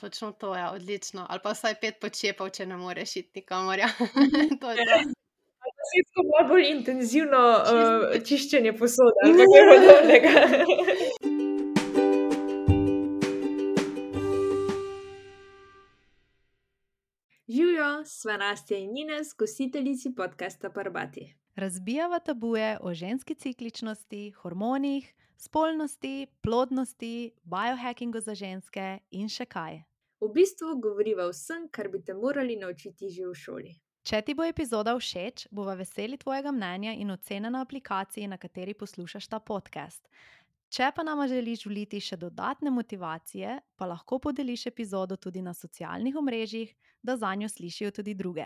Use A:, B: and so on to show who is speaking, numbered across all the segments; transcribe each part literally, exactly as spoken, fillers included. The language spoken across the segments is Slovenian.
A: Točno to, ja, odlično. Ali pa vsaj pet počepov, če ne moreš iti nikamor, ja.
B: Mhm.
A: To je to.
B: Ali pa si tako malo bolj intenzivno, uh,
A: Čisto.
B: čiščenje posode ali pa kaj podobnega. Živjo, sva Nastja in Ines, gostiteljici podcasta Barbati.
C: Razbijava tabuje o ženski cikličnosti, hormonih, spolnosti, plodnosti, biohackingu za ženske in še kaj.
B: V bistvu govoriva o vsem, kar bi te morali naučiti že v šoli.
C: Če ti bo epizoda všeč, bova veseli tvojega mnenja in ocene na aplikaciji, na kateri poslušaš ta podcast. Če pa nama želiš vliti še dodatne motivacije, pa lahko podeliš epizodo tudi na socialnih omrežjih, da zanjo slišijo tudi druge.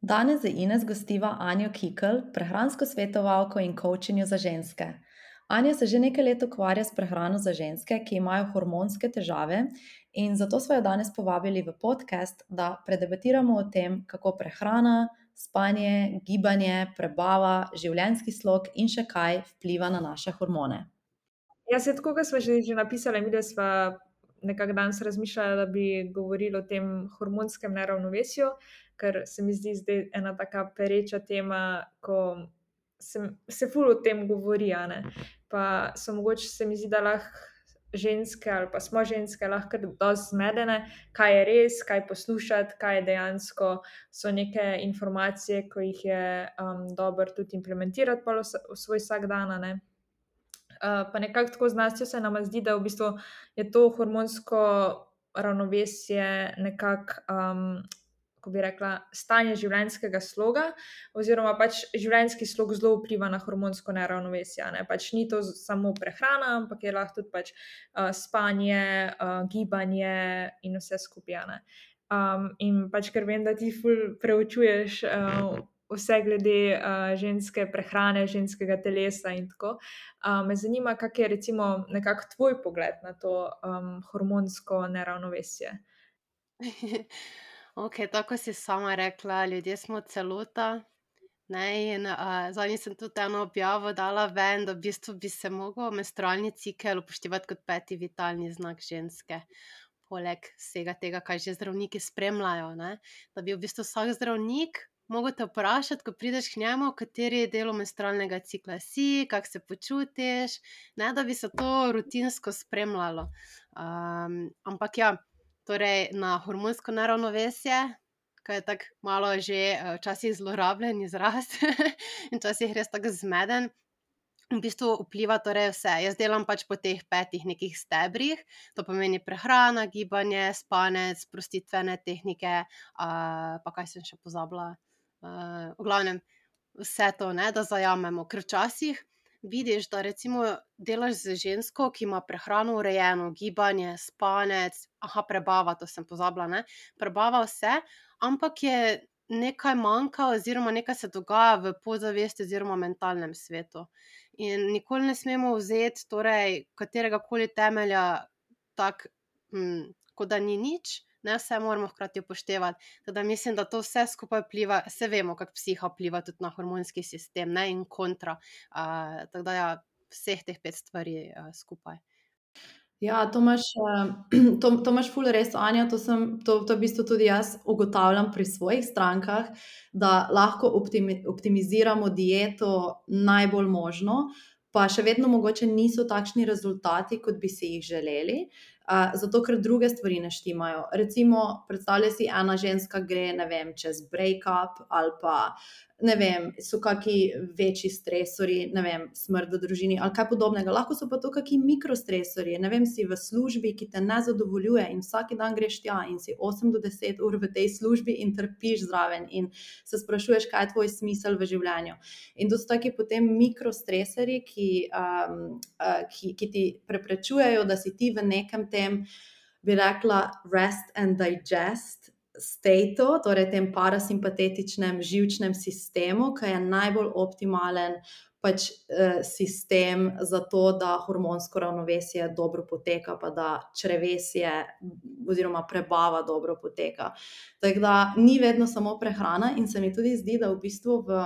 C: Danes za Ines gostiva Anjo Kikl, prehransko svetovalko in coachinjo za ženske. Anja se že nekaj let ukvarja s prehrano za ženske, ki imajo hormonske težave, in zato smo jo danes povabili v podcast, da predebatiramo o tem, kako prehrana, spanje, gibanje, prebava, življenjski slog in še kaj vpliva na naše hormone.
B: Ja, se tako, kot sva že, že napisala, mi da sva nekako danes razmišljala, da bi govorili o tem hormonskem neravnovesju, ker se mi zdi zdaj ena taka pereča tema, ko se, se ful o tem govori, a ne. Pa so mogoče, se mi zdi, da lahko ženske ali pa smo ženske lahko dosti zmedene, kaj je res, kaj poslušati, kaj je dejansko so neke informacije, ko jih je um, dobro tudi implementirati pa v, v svoj vsak dan, a ne. Uh, pa nekako tako z Nastjo se nama zdi, da v bistvu je to hormonsko ravnovesje nekako, um, ko bi rekla, stanje življenjskega sloga, oziroma pač življenjski slog zelo vpliva na hormonsko neravnovesje. Ne? Pač ni to samo prehrana, ampak je lahko tudi pač, uh, spanje, uh, gibanje in vse skupaj. Ne? Um, in pač, ker vem, da ti ful preučuješ uh, vse glede uh, ženske prehrane, ženskega telesa in tako. Uh, me zanima, kak je recimo nekako tvoj pogled na to um, hormonsko neravnovesje.
A: Ok, tako si sama rekla, ljudje smo celota. Ne, in uh, zadnji sem tudi eno objavo dala ven, da v bistvu bi se mogel menstrualni cikel upoštevati kot peti vitalni znak ženske. Poleg vsega tega, kaj že zdravniki spremljajo, ne? Da bi v bistvu vsak zdravnik mogel te vprašati, ko prideš k njemu, kateri del menstrualnega cikla si, kako se počutiš, ne, da bi se to rutinsko spremljalo. Um, ampak ja, torej na hormonsko neravnovesje, ki je tako malo že včasih zlorabljen izraz in včasih res tako zmeden, v bistvu vpliva torej vse. Jaz delam pač po teh petih nekih stebrih, to pomeni prehrana, gibanje, spanec, sprostitvene tehnike, uh, pa kaj sem še pozabila. Uh, v glavnem, vse to, ne, da zajamemo, ker včasih vidiš, da recimo delaš z žensko, ki ima prehrano urejeno, gibanje, spanec, aha, prebava, to sem pozabila, ne, prebava vse, ampak je nekaj manjka oziroma nekaj se dogaja v podzavesti oziroma mentalnem svetu. In nikoli ne smemo vzeti torej katerega koli temelja tak, hm, kot da ni nič, ne, vse moramo hkrati upoštevati. Teda mislim, da to vse skupaj vpliva, se vemo, kako psiha vpliva tudi na hormonski sistem, ne, in kontra. Uh, tako da ja, vseh teh pet stvari uh, skupaj.
C: Ja, to imaš, to, to imaš ful res, Anja, to, sem, to, to v bistvu tudi jaz ugotavljam pri svojih strankah, da lahko optimi, optimiziramo dieto najbolj možno, pa še vedno mogoče niso takšni rezultati, kot bi si jih želeli, uh, zato ker druge stvari ne štimajo. Recimo, predstavljaj si, ena ženska gre, ne vem, čez break-up ali pa, ne vem, so kaki večji stresori, ne vem, smrt v družini ali kaj podobnega. Lahko so pa to kaki mikrostresori, ne vem, si v službi, ki te ne zadovoljuje in vsak dan greš tja in si osem do deset ur v tej službi in trpiš zraven in se sprašuješ, kaj je tvoj smisel v življenju. In to so taki potem mikrostresori, ki, um, uh, ki, ki ti preprečujejo, da si ti v nekem tem, bi rekla, rest and digest stateu, torej tem parasimpatetičnem živčnem sistemu, ki je najbolj optimalen pač eh, sistem za to, da hormonsko ravnovesje dobro poteka, pa da črevesje oziroma prebava dobro poteka. Tako da ni vedno samo prehrana in se mi tudi zdi, da v bistvu v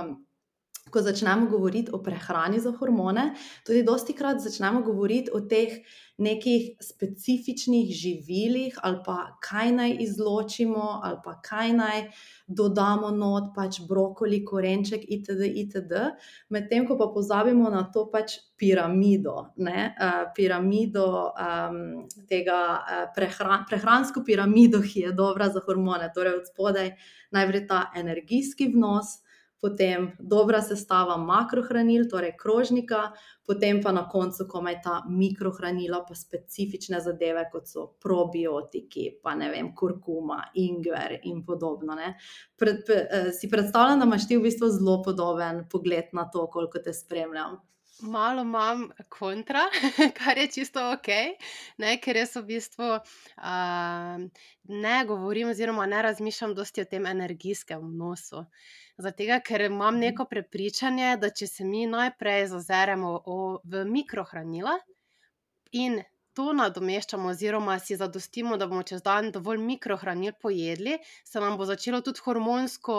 C: ko začnemo govoriti o prehrani za hormone, tudi dostikrat začnemo govoriti o teh nekih specifičnih živilih ali pa kaj naj izločimo ali pa kaj naj dodamo not, pač brokoli, korenček itd. itd. Medtem ko pa pozabimo na to pač piramido, ne? Uh, piramido um, tega uh, prehran, prehransko piramido, ki je dobra za hormone, torej od spodaj najprej ta energijski vnos, potem dobra sestava makrohranil, torej krožnika, potem pa na koncu komaj ta mikrohranila, pa specifične zadeve, kot so probiotiki, pa ne vem, kurkuma, ingver in podobno. Ne. Pred, pre, si predstavljam, da imaš ti v bistvu zelo podoben pogled na to, koliko te spremljam.
A: Malo imam kontra, kar je čisto ok, ne, ker jaz v bistvu uh, ne govorim oziroma ne razmišljam dosti o tem energijskem vnosu. Zato, ker imam neko prepričanje, da če se mi najprej zazeremo o, v mikrohranila in to nadomeščamo oziroma si zadostimo, da bomo čez dan dovolj mikrohranil pojedli, se nam bo začelo tudi hormonsko,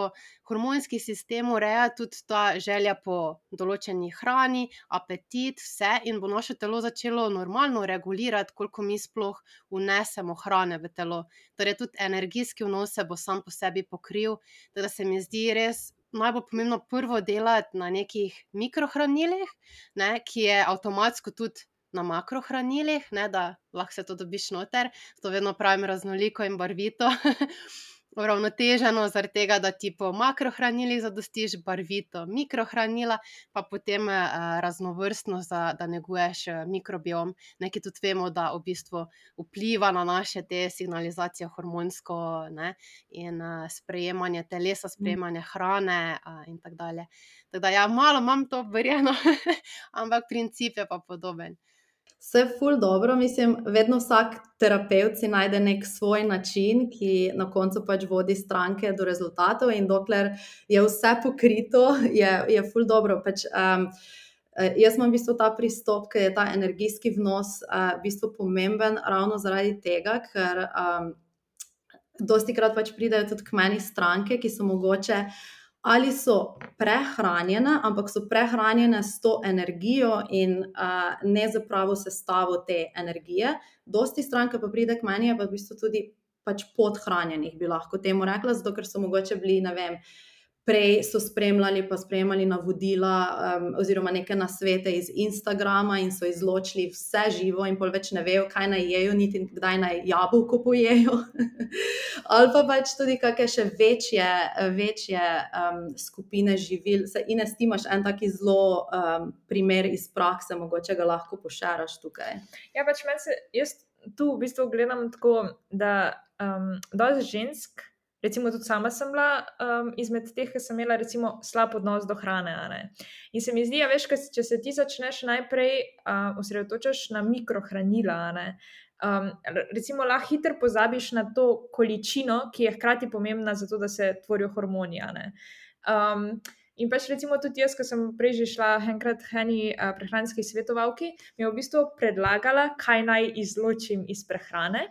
A: hormonski sistem urejati, tudi ta želja po določeni hrani, apetit, vse, in bo naše telo začelo normalno regulirati, koliko mi sploh vnesemo hrane v telo. Torej tudi energijski vnos se bo sam po sebi pokril, da se mi zdi res najbolj pomembno prvo delati na nekih mikrohranilih, ne, ki je avtomatsko tudi na makrohranilih, ne, da lahko se to dobiš noter, to vedno pravim raznoliko in barvito, uravnoteženo, zaradi tega, da ti po makrohranilih zadostiš, barvito mikrohranila, pa potem eh, raznovrstno, za, da neguješ mikrobiom, nekaj tudi vemo, da v bistvu vpliva na naše te signalizacije hormonsko, ne, in eh, sprejemanje telesa, sprejemanje hrane eh, in tako dalje. Tako da ja, malo imam to verjeno, ampak princip je pa podoben.
C: Vse ful dobro, mislim, vedno vsak terapevt si najde nek svoj način, ki na koncu pač vodi stranke do rezultatov, in dokler je vse pokrito, je, je ful dobro. Pač, um, jaz imam v bistvu ta pristop, ker je ta energijski vnos uh, v bistvu pomemben ravno zaradi tega, ker um, dostikrat pač pridejo tudi k meni stranke, ki so mogoče ali so prehranjene, ampak so prehranjene s to energijo in uh, ne z pravo sestavo te energije. Dosti stranke pa pride k meni, pa v bistvu tudi pač podhranjenih, bi lahko temu rekla, zato ker so mogoče bili, ne vem, prej so spremljali pa sprejemali navodila um, oziroma neke nasvete iz Instagrama in so izločili vse živo in pol več ne vejo, kaj naj jejo, niti kdaj naj jabolko pojejo. Ali pa pač tudi kakšne še večje, večje um, skupine živil. Se, Ines, ti imaš en taki zelo um, primer iz prakse, mogoče ga lahko pošeraš tukaj.
B: Ja, pač meni se, jaz tu v bistvu gledam tako, da um, dosti žensk, recimo tudi sama sem bila um, izmed teh, ki sem imela recimo slab odnos do hrane. A ne? In se mi zdi, ja, veš, če se ti začneš najprej uh, osredotočaš na mikrohranila, a ne? Um, recimo lahko hitro pozabiš na to količino, ki je hkrati pomembna za to, da se tvorijo hormoni. A ne? Um, in pač recimo tudi jaz, ko sem prej že šla enkrat k eni uh, prehranski svetovalki, mi je v bistvu predlagala, kaj naj izločim iz prehrane,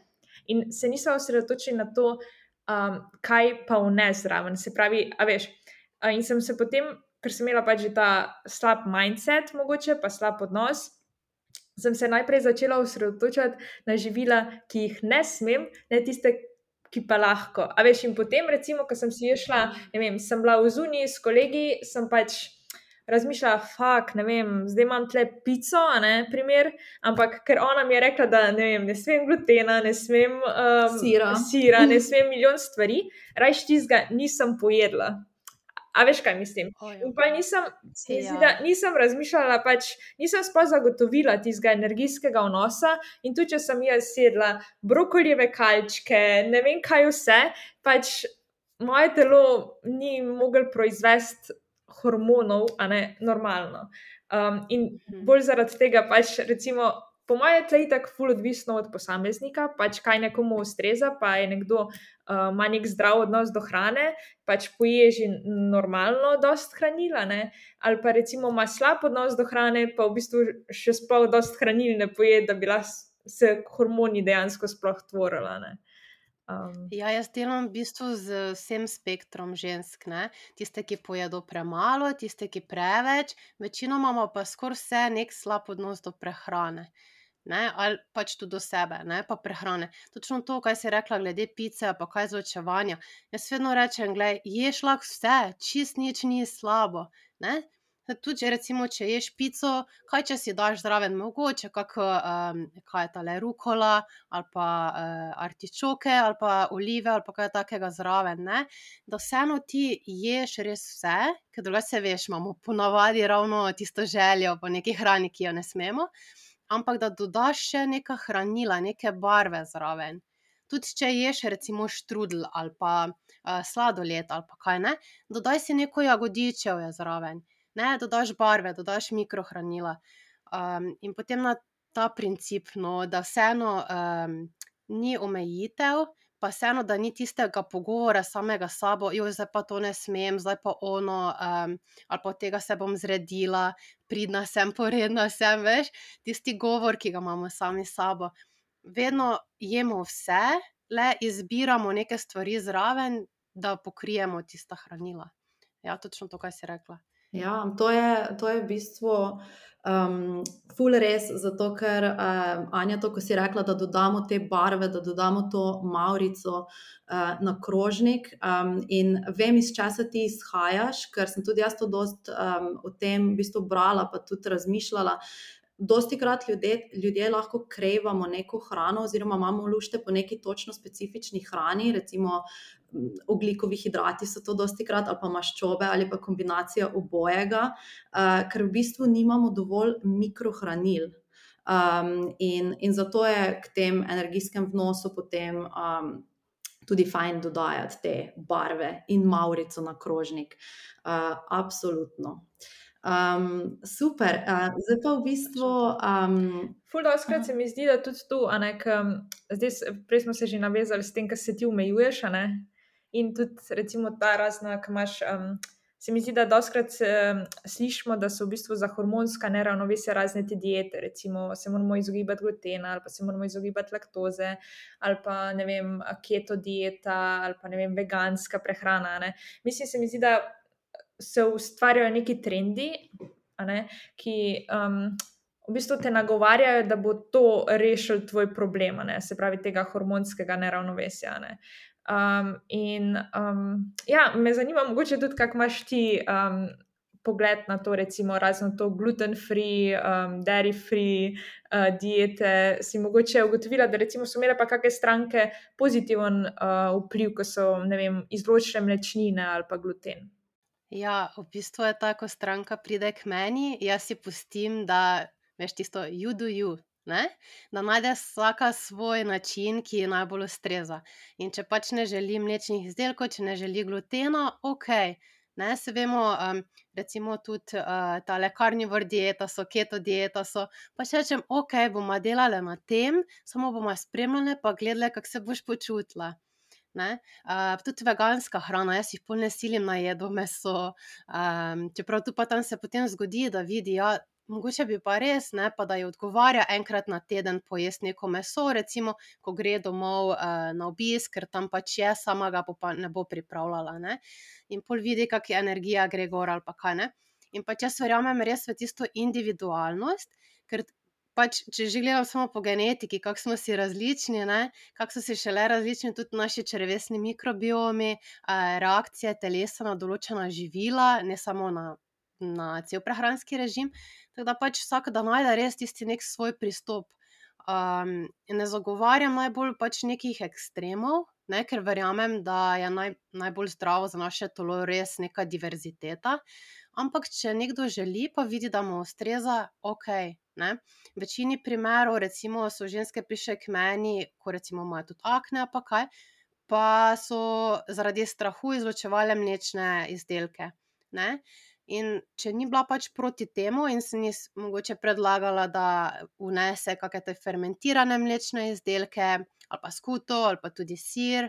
B: in se nisem osredotočila na to, Um, kaj pa vnes zraven, se pravi, a veš, uh, in sem se potem, ker sem imela pač že ta slab mindset mogoče, pa slab odnos, sem se najprej začela osredotočati na živila, ki jih ne smem, ne tiste, ki pa lahko. A veš, in potem recimo, ko sem si šla, ne vem, sem bila v zuniji s kolegi, sem pač razmišljala, fak, ne vem, zdaj imam tle pico, a ne, primer, ampak ker ona mi je rekla, da ne vem, ne smem glutena, ne smem um,
C: sira.
B: sira, ne smem milijon stvari, rajš tistega nisem pojedla. A veš, kaj mislim? In pa nisem, se zdi, da nisem razmišljala, pač nisem sploh zagotovila tistega energijskega vnosa, in tudi, če sem jaz sedla brokolijeve kalčke, ne vem kaj vse, pač moje telo ni moglo proizvesti hormonov, a ne, normalno. Um, in bolj zaradi tega pač recimo, po moje tle je tako ful odvisno od posameznika, pač kaj nekomu ustreza, pa je nekdo uh, ima nek zdrav odnos do hrane, pač poje že normalno dost hranila, ne, ali pa recimo ima slab odnos do hrane, pa v bistvu še sploh dost hranil ne poje, da bi se hormoni dejansko sploh tvorila, ne. Um,
A: Ja, jaz delam v bistvu z vsem spektrom žensk, ne. Tiste, ki pojedo premalo, tiste, ki preveč, večinoma ima pa skoraj vse neki slab odnos do prehrane, ne, ali pač tudi do sebe, ne, pa prehrane. Točno to, kaj si rekla glede pice ali pa kaj izločevanja. Jaz vedno rečem: "Glej, ješ lahko vse, čisto nič ni slabo, ne." Tudi če recimo, če ješ pico, kaj če si daš zraven mogoče kako, kaj je tale, rukola ali pa, artičoke ali pa olive ali pa kaj takega zraven, ne, da vseeno ti ješ res vse, ker drugače, saj veš, imamo po navadi ravno tisto željo po neki hrani, ki jo ne smemo, ampak da dodaš še neka hranila, neke barve zraven. Tudi če ješ recimo štrudelj ali pa, sladoled ali pa kaj, ne, dodaj si neko jagodičevje zraven, ne, dodaš barve, dodaš mikrohranila. In potem na ta princip, no, da vseeno, ni omejitev, pa vseeno, da ni tistega pogovora samega s sabo: "Joj, zdaj pa to ne smem, zdaj pa ono, ali pa od tega se bom zredila, pridna sem, poredna sem." Veš, tisti govor, ki ga imamo sami s sabo. Vedno jemo vse, le izbiramo neke stvari zraven, da pokrijemo tista hranila. Ja, točno to, kaj si rekla.
C: Ja, to je, to je v bistvu, ful res, zato ker, Anja, to, ko si rekla, da dodamo te barve, da dodamo to mavrico, na krožnik, in vem, iz česa ti izhajaš, ker sem tudi jaz to dosti, o tem v bistvu brala pa tudi razmišljala. Dostikrat ljudje, ljudje lahko krevamo neko hrano oziroma imamo lušte po neki točno specifični hrani, recimo ogljikovi hidrati so to dostikrat ali pa maščobe ali pa kombinacija obojega, ker v bistvu nimamo dovolj mikrohranil. in, in zato je k tem energijskem vnosu potem, tudi fajn dodajati te barve in mavrico na krožnik. absolutno. super, zdaj pa v bistvu,
B: Ful dostikrat se mi zdi, da tudi to, a ne, ke zdaj prej smo se že navezali s tem, ke se ti omejuješ, a ne, in tudi recimo ta razna, ke imaš, se mi zdi, da dostikrat, slišimo, da so v bistvu za hormonska neravnovesja razne te diete, recimo se moramo izogibati glutena ali pa se moramo izogibati laktoze ali pa, ne vem, keto dieta ali pa, ne vem, veganska prehrana, a ne. Mislim, se mi zdi, da se ustvarjajo neki trendi, a ne, ki, v bistvu te nagovarjajo, da bo to rešilo tvoj problem, a ne, se pravi tega hormonskega neravnovesja, a ne. in, ja, me zanima mogoče tudi, kako imaš ti, pogled na to, recimo razno to gluten free, dairy free, diete, si mogoče ugotovila, da recimo so imele pa kake stranke pozitiven, vpliv, ko so, ne vem, izločile mlečnine ali pa gluten?
A: Ja, v bistvu je tako, ko stranka pride k meni, jaz si pustim, da, veš tisto you do you, ne, da najde vsaka svoj način, ki ji najbolj ustreza. In če pač ne želi mlečnih izdelkov, če ne želi glutena, okej, ne, saj vemo, recimo tudi, tale carnivore dieta so, keto dieta so, pač rečem: "Okej, bova delale na tem, samo bova spremljale pa gledale, kako se boš počutila." Ne, tudi veganska hrana, jaz jih pol ne silim, naj jedo meso, čeprav tu pa tam se potem zgodi, da vidi, ja, mogoče bi pa res, ne, pa da ji odgovarja enkrat na teden pojesti neko meso, recimo, ko gre domov, na obisk, ker tam pač je, sama ga bo pa ne bo pripravljala, ne. In pol vidi, kako ji energija gre gor ali pa kaj, ne. In pač jaz verjamem res v tisto individualnost, ker pač, če že gledam samo po genetiki, kako smo si različni, ne, kako so si šele različni tudi naši črevesni mikrobiomi, reakcije telesa na določena živila, ne samo na, na cel prehranski režim, tako da pač vsak da najde res tisti neki svoj pristop. ne zagovarjam najbolj pač nekih ekstremov, ne, ker verjamem, da je najbolj zdravo za naše telo res neka diverziteta, ampak če nekdo želi, pa vidi, da mu ustreza, okej, ne. V večini primerov recimo so ženske prišle k meni, ko recimo imajo tudi akne ali pa kaj, pa so zaradi strahu izločevale mlečne izdelke, ne. In če ni bila pač proti temu in sem ji mogoče predlagala, da vnese kake te fermentirane mlečne izdelke ali pa skuto ali pa tudi sir,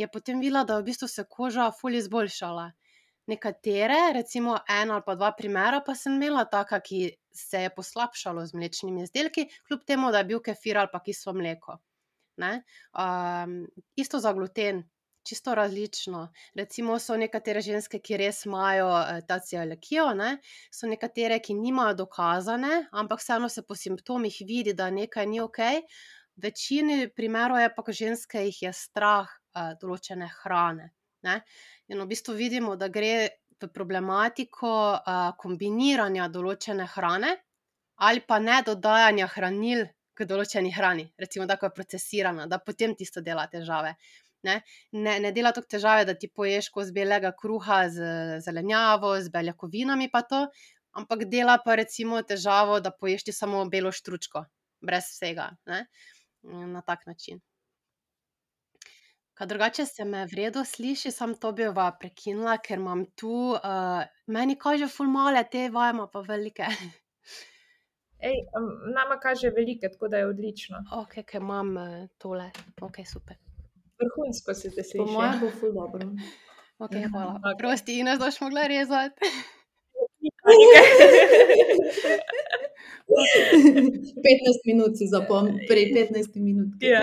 A: je potem videla, da v bistvu se koža ful izboljšala. Nekatere, recimo en ali pa dva primera pa sem imela taka, ki se je poslabšalo z mlečnimi izdelki, kljub temu da je bil kefir ali pa kislo mleko. Ne? Um, isto za gluten, čisto različno. Recimo so nekatere ženske, ki res imajo eh, ta celiakijo, ne? So nekatere, ki nimajo dokazane, ampak vseeno se po simptomih vidi, da nekaj ni ok. V večini primerov je pa, ko ženske jih je strah uh, določene hrane. Ne? In v bistvu vidimo, da gre v problematiko uh, kombiniranja določene hrane ali pa ne dodajanja hranil k določeni hrani, recimo tako je procesirana, da potem tisto dela težave. Ne, ne, ne dela toliko težave, da ti poješ kos belega kruha z zelenjavo, z beljakovinami pa to, ampak dela pa recimo težavo, da poješ ti samo belo štručko, brez vsega, ne, na tak način. Kaj drugače se me v redu sliši, sam to bi va prekinila, ker imam tu, uh, meni kaže ful male, te vajma pa velike.
B: Ej, um, nama kaže velike, tako da je odlično.
A: Ok, ker imam uh, tole, ok, super.
B: Vrhunsko se te
C: Po
B: sliši.
C: mojem bo ful dobro.
A: Ok, hvala.
B: Ok.
A: Prosti, Ines, daš mogla rezati.
C: petnajst minut si zapom, pri petnajsti minutki.
B: Ja.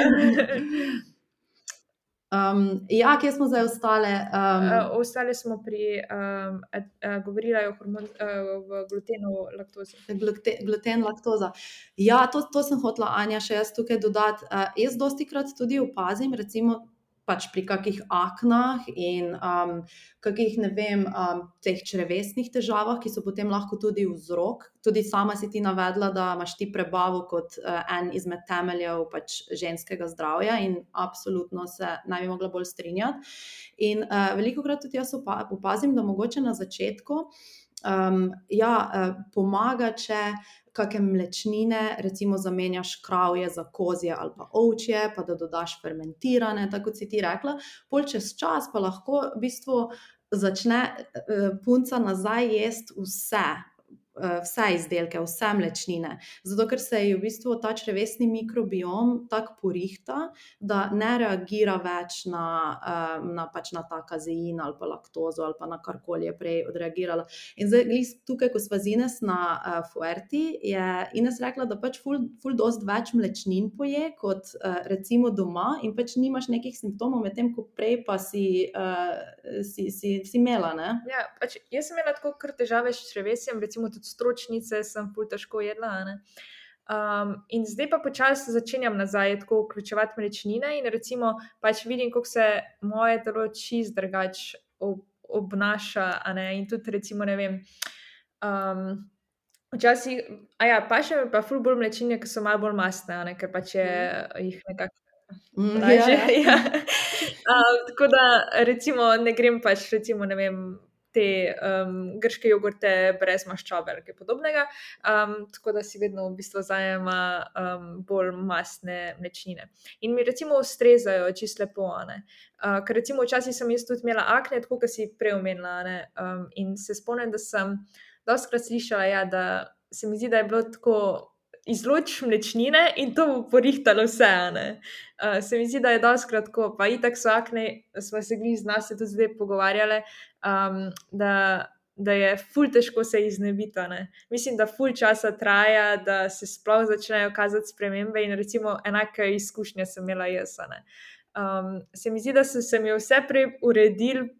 C: Um, ja, kje smo zdaj ostale? Um,
B: Uh, ostali smo pri, um, uh, uh, govorila je o hormon, uh, v glutenu, laktozi.
C: glute, gluten, laktoza. Ja, to, to sem hotela, Anja, še jaz tukaj dodati. Uh, jaz dosti krat tudi opazim, recimo pač pri kakih aknah in um, kakih, ne vem, um, teh črevesnih težavah, ki so potem lahko tudi vzrok. Tudi sama si ti navedla, da imaš ti prebavo kot uh, en izmed temeljev pač ženskega zdravja in absolutno se ne bi mogla bolj strinjati. In uh, veliko krat tudi jaz opa- opazim, da mogoče na začetku um, ja, uh, pomaga, če kakšne mlečnine, recimo zamenjaš kravje za kozje ali pa ovčje, pa da dodaš fermentirane, tako kot si ti rekla. Pol čez čas pa lahko v bistvu začne uh, punca nazaj jesti vse, uh, vse izdelke, vse mlečnine. Zato, ker se je v bistvu ta črevesni mikrobiom tako porihta, da ne reagira več na, uh, na, pač na ta kazein ali pa laktozo ali pa na karkoli je prej odreagirala. In zdaj, glih tukaj, ko sva z Ines na uh, Fuerti, je Ines rekla, da pač ful, ful dost več mlečnin poje kot uh, recimo doma in pač nimaš nekih simptomov, medtem ko prej pa si, uh, si, si, si imela, ne?
B: Ja, pač jaz sem imela tako kar težave s črevesjem, recimo tudi stročnice sem ful težko jedla, ne. Um, in zdaj pa počasi začenjam nazaj tako vključevati mlečnine in recimo pač vidim, kako se moje telo čist drugač ob, obnaša, a ne, in tudi recimo, ne vem, um, včasih, a ja, pa še mi pa ful bolj mlečnine, ki so malo bolj mastne, a ne, ker pač je jih nekako
C: Mm,
B: lažje,
C: ja, ja.
B: ja. Um, tako da recimo ne grem pač recimo, ne vem, te um, grške jogurte brez maščobe ali kaj podobnega, um, tako da si vedno v bistvu zajema um, bolj mastne mlečnine. In mi recimo ustrezajo čisto lepo, a ne. Uh, ker recimo včasih sem jaz tudi imela akne, tako kot si prej omenila, a ne, um, in se spomnim, da sem dostikrat slišala, ja, da se mi zdi, da je bilo tako izločiš mlečnine in to bo porihtalo vse, a ne. Uh, se mi zdi, da je dostikrat tako, pa itak so akne, smo se glih z nas se tudi zdaj pogovarjale, um, da, da je ful težko se iznebiti, a ne. Mislim, da ful časa traja, da se sploh začnejo kazati spremembe in recimo enake izkušnje sem imela jaz, a ne. Um, se mi zdi, da so se mi vse prej uredili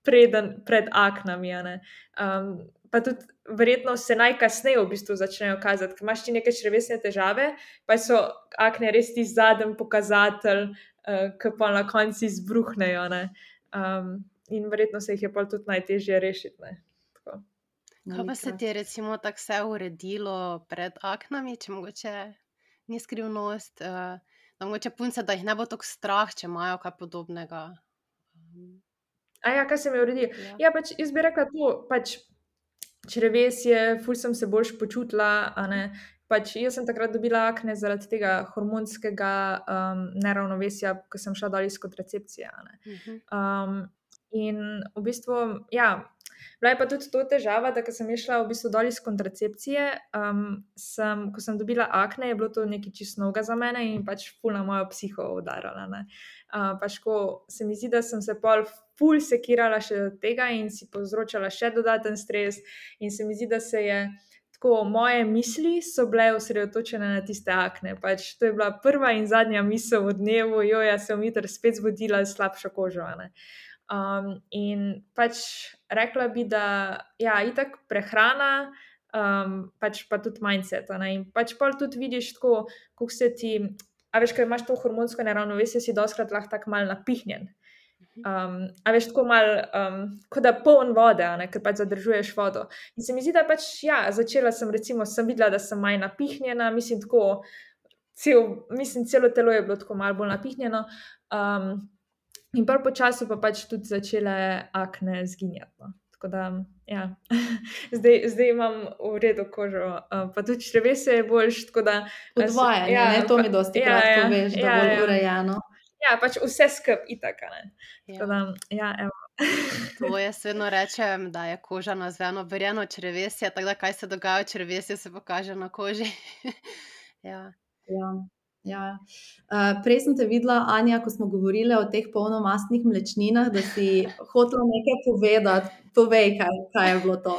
B: preden, pred aknami, a ne. Um, pa tudi verjetno se najkasneje v bistvu začnejo kazati, ker imaš ti neke črevesne težave, pa so akne res ti zadnji pokazatelj, uh, ki pa na koncu izbruhnejo, ne. Um, in verjetno se jih je pa tudi najtežje rešiti, ne. Tako.
A: Kaj pa se ti je recimo tako vse uredilo pred aknami, če mogoče ni skrivnost, uh, da mogoče punce, da jih ne bo tako strah, če imajo kaj podobnega? Um,
B: A ja, kaj se mi je uredilo?
A: ja.
B: Ja, pač jaz bi rekla to, pač črevesje, ful sem se boljše počutila, a ne. Pač jaz sem takrat dobila akne zaradi tega hormonskega um, neravnovesja, ko sem šla dol iz kontracepcije, a ne.
A: Mhm.
B: Um, in v bistvu, ja, bila je pa tudi to težava, da ko sem je šla v bistvu dol iz kontracepcije, um, sem, ko sem dobila akne, je bilo to nekaj čisto novega za mene in pač ful na mojo psiho udarala, ne. Uh, pač ko se mi zdi, da sem se pol ful sekirala še od tega in si povzročala še dodaten stres in se mi zdi, da se je tako moje misli so bile osredotočene na tiste akne. Pač to je bila prva in zadnja misel v dnevu, jo, jaz sem jutri spet zbudila s slabšo kožo. a ne. Um, in pač rekla bi, da ja, itak prehrana, um, pač pa tudi mindset. a ne. In pač pol tudi vidiš tako, kako se ti, a veš, ko imaš to hormonsko neravnovesje, si doskrat lahko tako malo napihnjen. Um, a veš, tako malo, um, kot da poln vode, a ne, ker pač zadržuješ vodo. In se mi zdi, da pač, ja, začela sem, recimo, sem videla, da sem manj napihnjena, mislim, tako, cel, mislim, celo telo je bilo tako malo bolj napihnjeno. Um, in pol po času pa pač tudi začele akne zginjati. No. Tako da, ja, zdaj, zdaj imam v redu kožo, uh, pa tudi črevesje je boljš, tako da...
C: Podvajanje,
B: ja,
C: ne, to
B: pa-
C: mi dosti
B: ja,
C: krat
B: ja,
C: poveš, da
B: ja,
C: bolj
B: ja.
C: urejeno.
B: Ja, pač vse skup itak, a ne. Tako
A: Ja.
B: da, ja, evo.
A: To jaz vedno rečem, da je koža nazveno verjeno črevesje, tako da kaj se dogaja v črevesju, se pokaže na koži. Ja.
C: Ja, ja. Uh, prej sem te videla, Anja, ko smo govorili o teh polnomastnih mlečninah, da si hotela nekaj povedati. Povej, kaj, kaj je bilo to.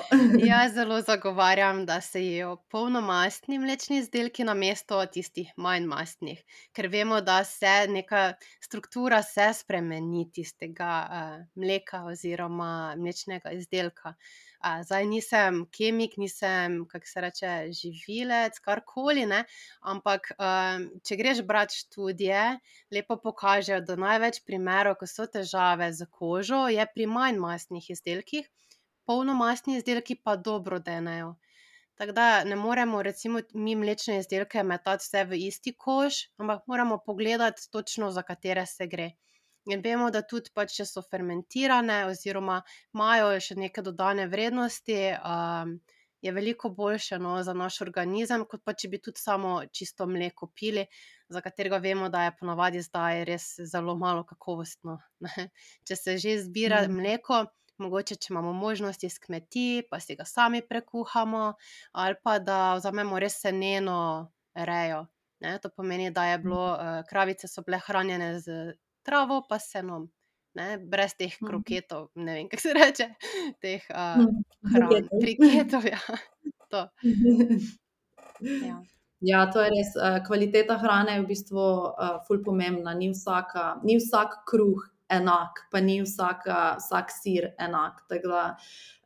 A: Jaz zelo zagovarjam, da se jejo polnomastni mlečni izdelki namesto tistih manj mastnih, ker vemo, da se neka struktura se spremeni tistega uh, mleka oziroma mlečnega izdelka. Uh, zdaj nisem kemik, nisem, kako se reče, živilec, karkoli, ne, ampak um, če greš brati študije, lepo pokažejo, da največ primerov, ko so težave z kožo, je pri manj mastnih izdelkih, polnomastni izdelki pa dobro denejo. Tako da ne moremo recimo mi mlečne izdelke metati vse v isti koš, ampak moramo pogledati točno, za katere se gre. In vemo, da tudi pač, če so fermentirane oziroma imajo še neke dodane vrednosti, um, je veliko boljše, no, za naš organizem, kot pa če bi tudi samo čisto mleko pili, za katerega vemo, da je ponavadi zdaj res zelo malo kakovostno. Ne. Če se že zbira
C: Mm.
A: mleko, mogoče, če imamo možnost iz kmetij, pa si ga sami prekuhamo, ali pa da vzamemo res seneno rejo. Ne? To pomeni, da je bilo, uh, kravice so bile hranjene z travo pa senom, ne? Brez teh
C: Mhm.
A: kroketov, ne vem, kako se reče, teh uh,
C: Mm,
A: hran,
C: briketov.
A: briketov, ja. To, ja.
C: Ja, to je res. eh, Kvaliteta hrane je v bistvu uh, ful pomembna. Ni, vsaka, ni vsak kruh enak, pa ni vsaka, vsak sir enak. Tako da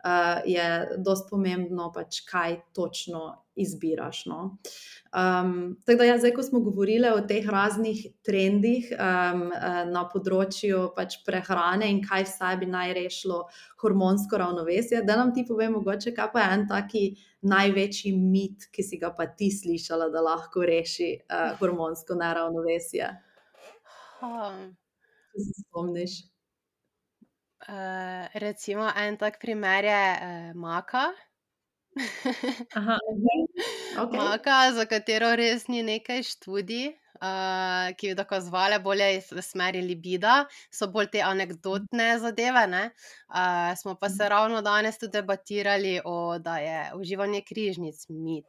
C: uh, je dosti pomembno, pač, kaj točno izbiraš. No? Um, tako da, ja, zdaj, ko smo govorili o teh raznih trendih um, eh, na področju pač prehrane in kaj vsaj bi naj rešilo hormonsko ravnovesje, da nam ti povem, mogoče, kaj pa je en taki največji mit, ki si ga pa ti slišala, da lahko reši uh, hormonsko neravnovesje,
A: Um,
C: če se spomniš.
A: uh, recimo en tak primer je uh, maka.
B: Aha,
C: Okay.
A: Maka, za katero res ni nekaj študij, uh, ki bi dokazovale bolje iz v smeri libida, so bolj te anekdotne zadeve, ne. Uh, smo pa se ravno danes tudi debatirali o, da je uživanje križnic mit.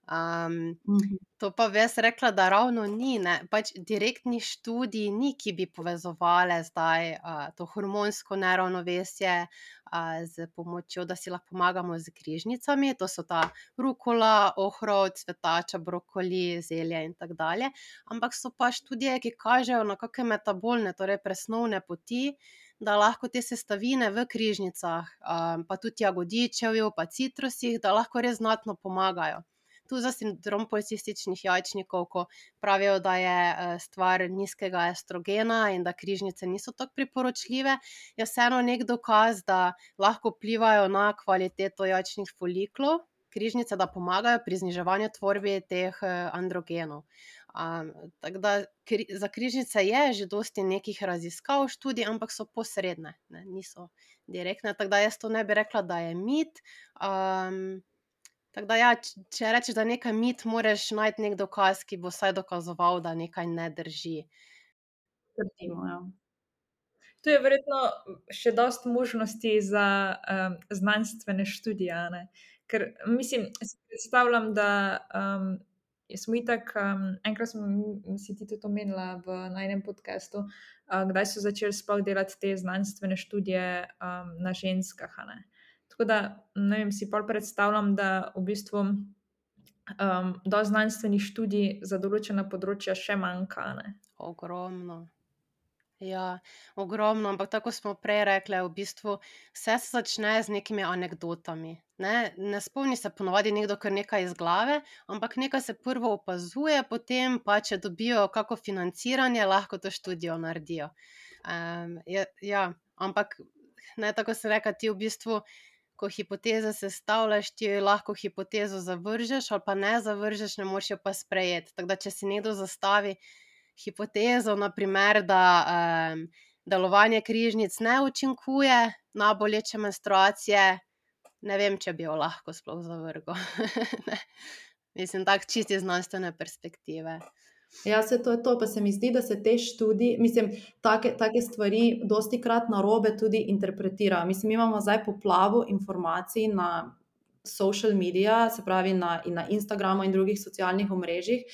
A: Um,
C: Mhm.
A: To pa bi jaz rekla, da ravno ni, ne. Pač direktnih študij ni, ki bi povezovale zdaj uh, to hormonsko neravnovesje uh, z pomočjo, da si lahko pomagamo z križnicami. To so ta rukola, ohrovt, cvetača, brokoli, zelje in tako dalje. Ampak so pa študije, ki kažejo na kakšne metabolne, torej presnovne poti, da lahko te sestavine v križnicah, um, pa tudi jagodičevju, pa citrusih, da lahko res znatno pomagajo. Tu za sindrom policističnih jajčnikov, ko pravijo, da je eh, stvar nizkega estrogena in da križnice niso tako priporočljive, je vseeno nek dokaz, da lahko vplivajo na kvaliteto jajčnih foliklov, križnice, da pomagajo pri zniževanju tvorbe teh eh, androgenov. Um, tako da kri, za križnice je že dosti nekih raziskav, študij, ampak so posredne, ne, niso direktne. Tako da jaz to ne bi rekla, da je mit. Um, Tako da, ja, č- če rečeš, da je nekaj mit, moraš najti nek dokaz, ki bo vsaj dokazoval, da nekaj ne drži.
C: Trdimo, ja.
B: Tu je verjetno še dosti možnosti za um, znanstvene študije, a ne? Ker mislim, si predstavljam, da um, smo itak, um, enkrat smo m- si ti tudi omenila v najnem podcastu, uh, kdaj so začeli sploh delati te znanstvene študije um, na ženskah, a ne? Tako Tako da, ne vem, si pol predstavljam, da v bistvu um, dosti znanstvenih študij za določena področja še manjka, ne.
A: Ogromno. Ja, ogromno, ampak tako kot smo prej rekle, v bistvu vse se začne z nekimi anekdotami, ne. Ne spomni se ponavadi nekdo kar nekaj iz glave, ampak nekaj se prvo opazuje, potem pa, če dobijo kako financiranje, lahko to študijo naredijo. Um, ja, ja, ampak ne, tako kot sem rekla, ti v bistvu, ko hipoteze sestavljaš, ti lahko hipotezo zavržeš ali pa ne zavržeš, ne moreš jo pa sprejeti. Tako da, če si nekdo zastavi hipotezo, na primer, da um, delovanje križnic ne učinkuje na boleče menstruacije, ne vem, če bi jo lahko sploh zavrgel. Ne. Mislim, tako čisto iz znanstvene perspektive.
C: Ja, saj to je to, pa se mi zdi, da se te študije, mislim, take, take stvari dostikrat narobe tudi interpretirajo. Mislim, mi imamo zdaj poplavo informacij na social media, se pravi na, in na Instagramu in drugih socialnih omrežjih.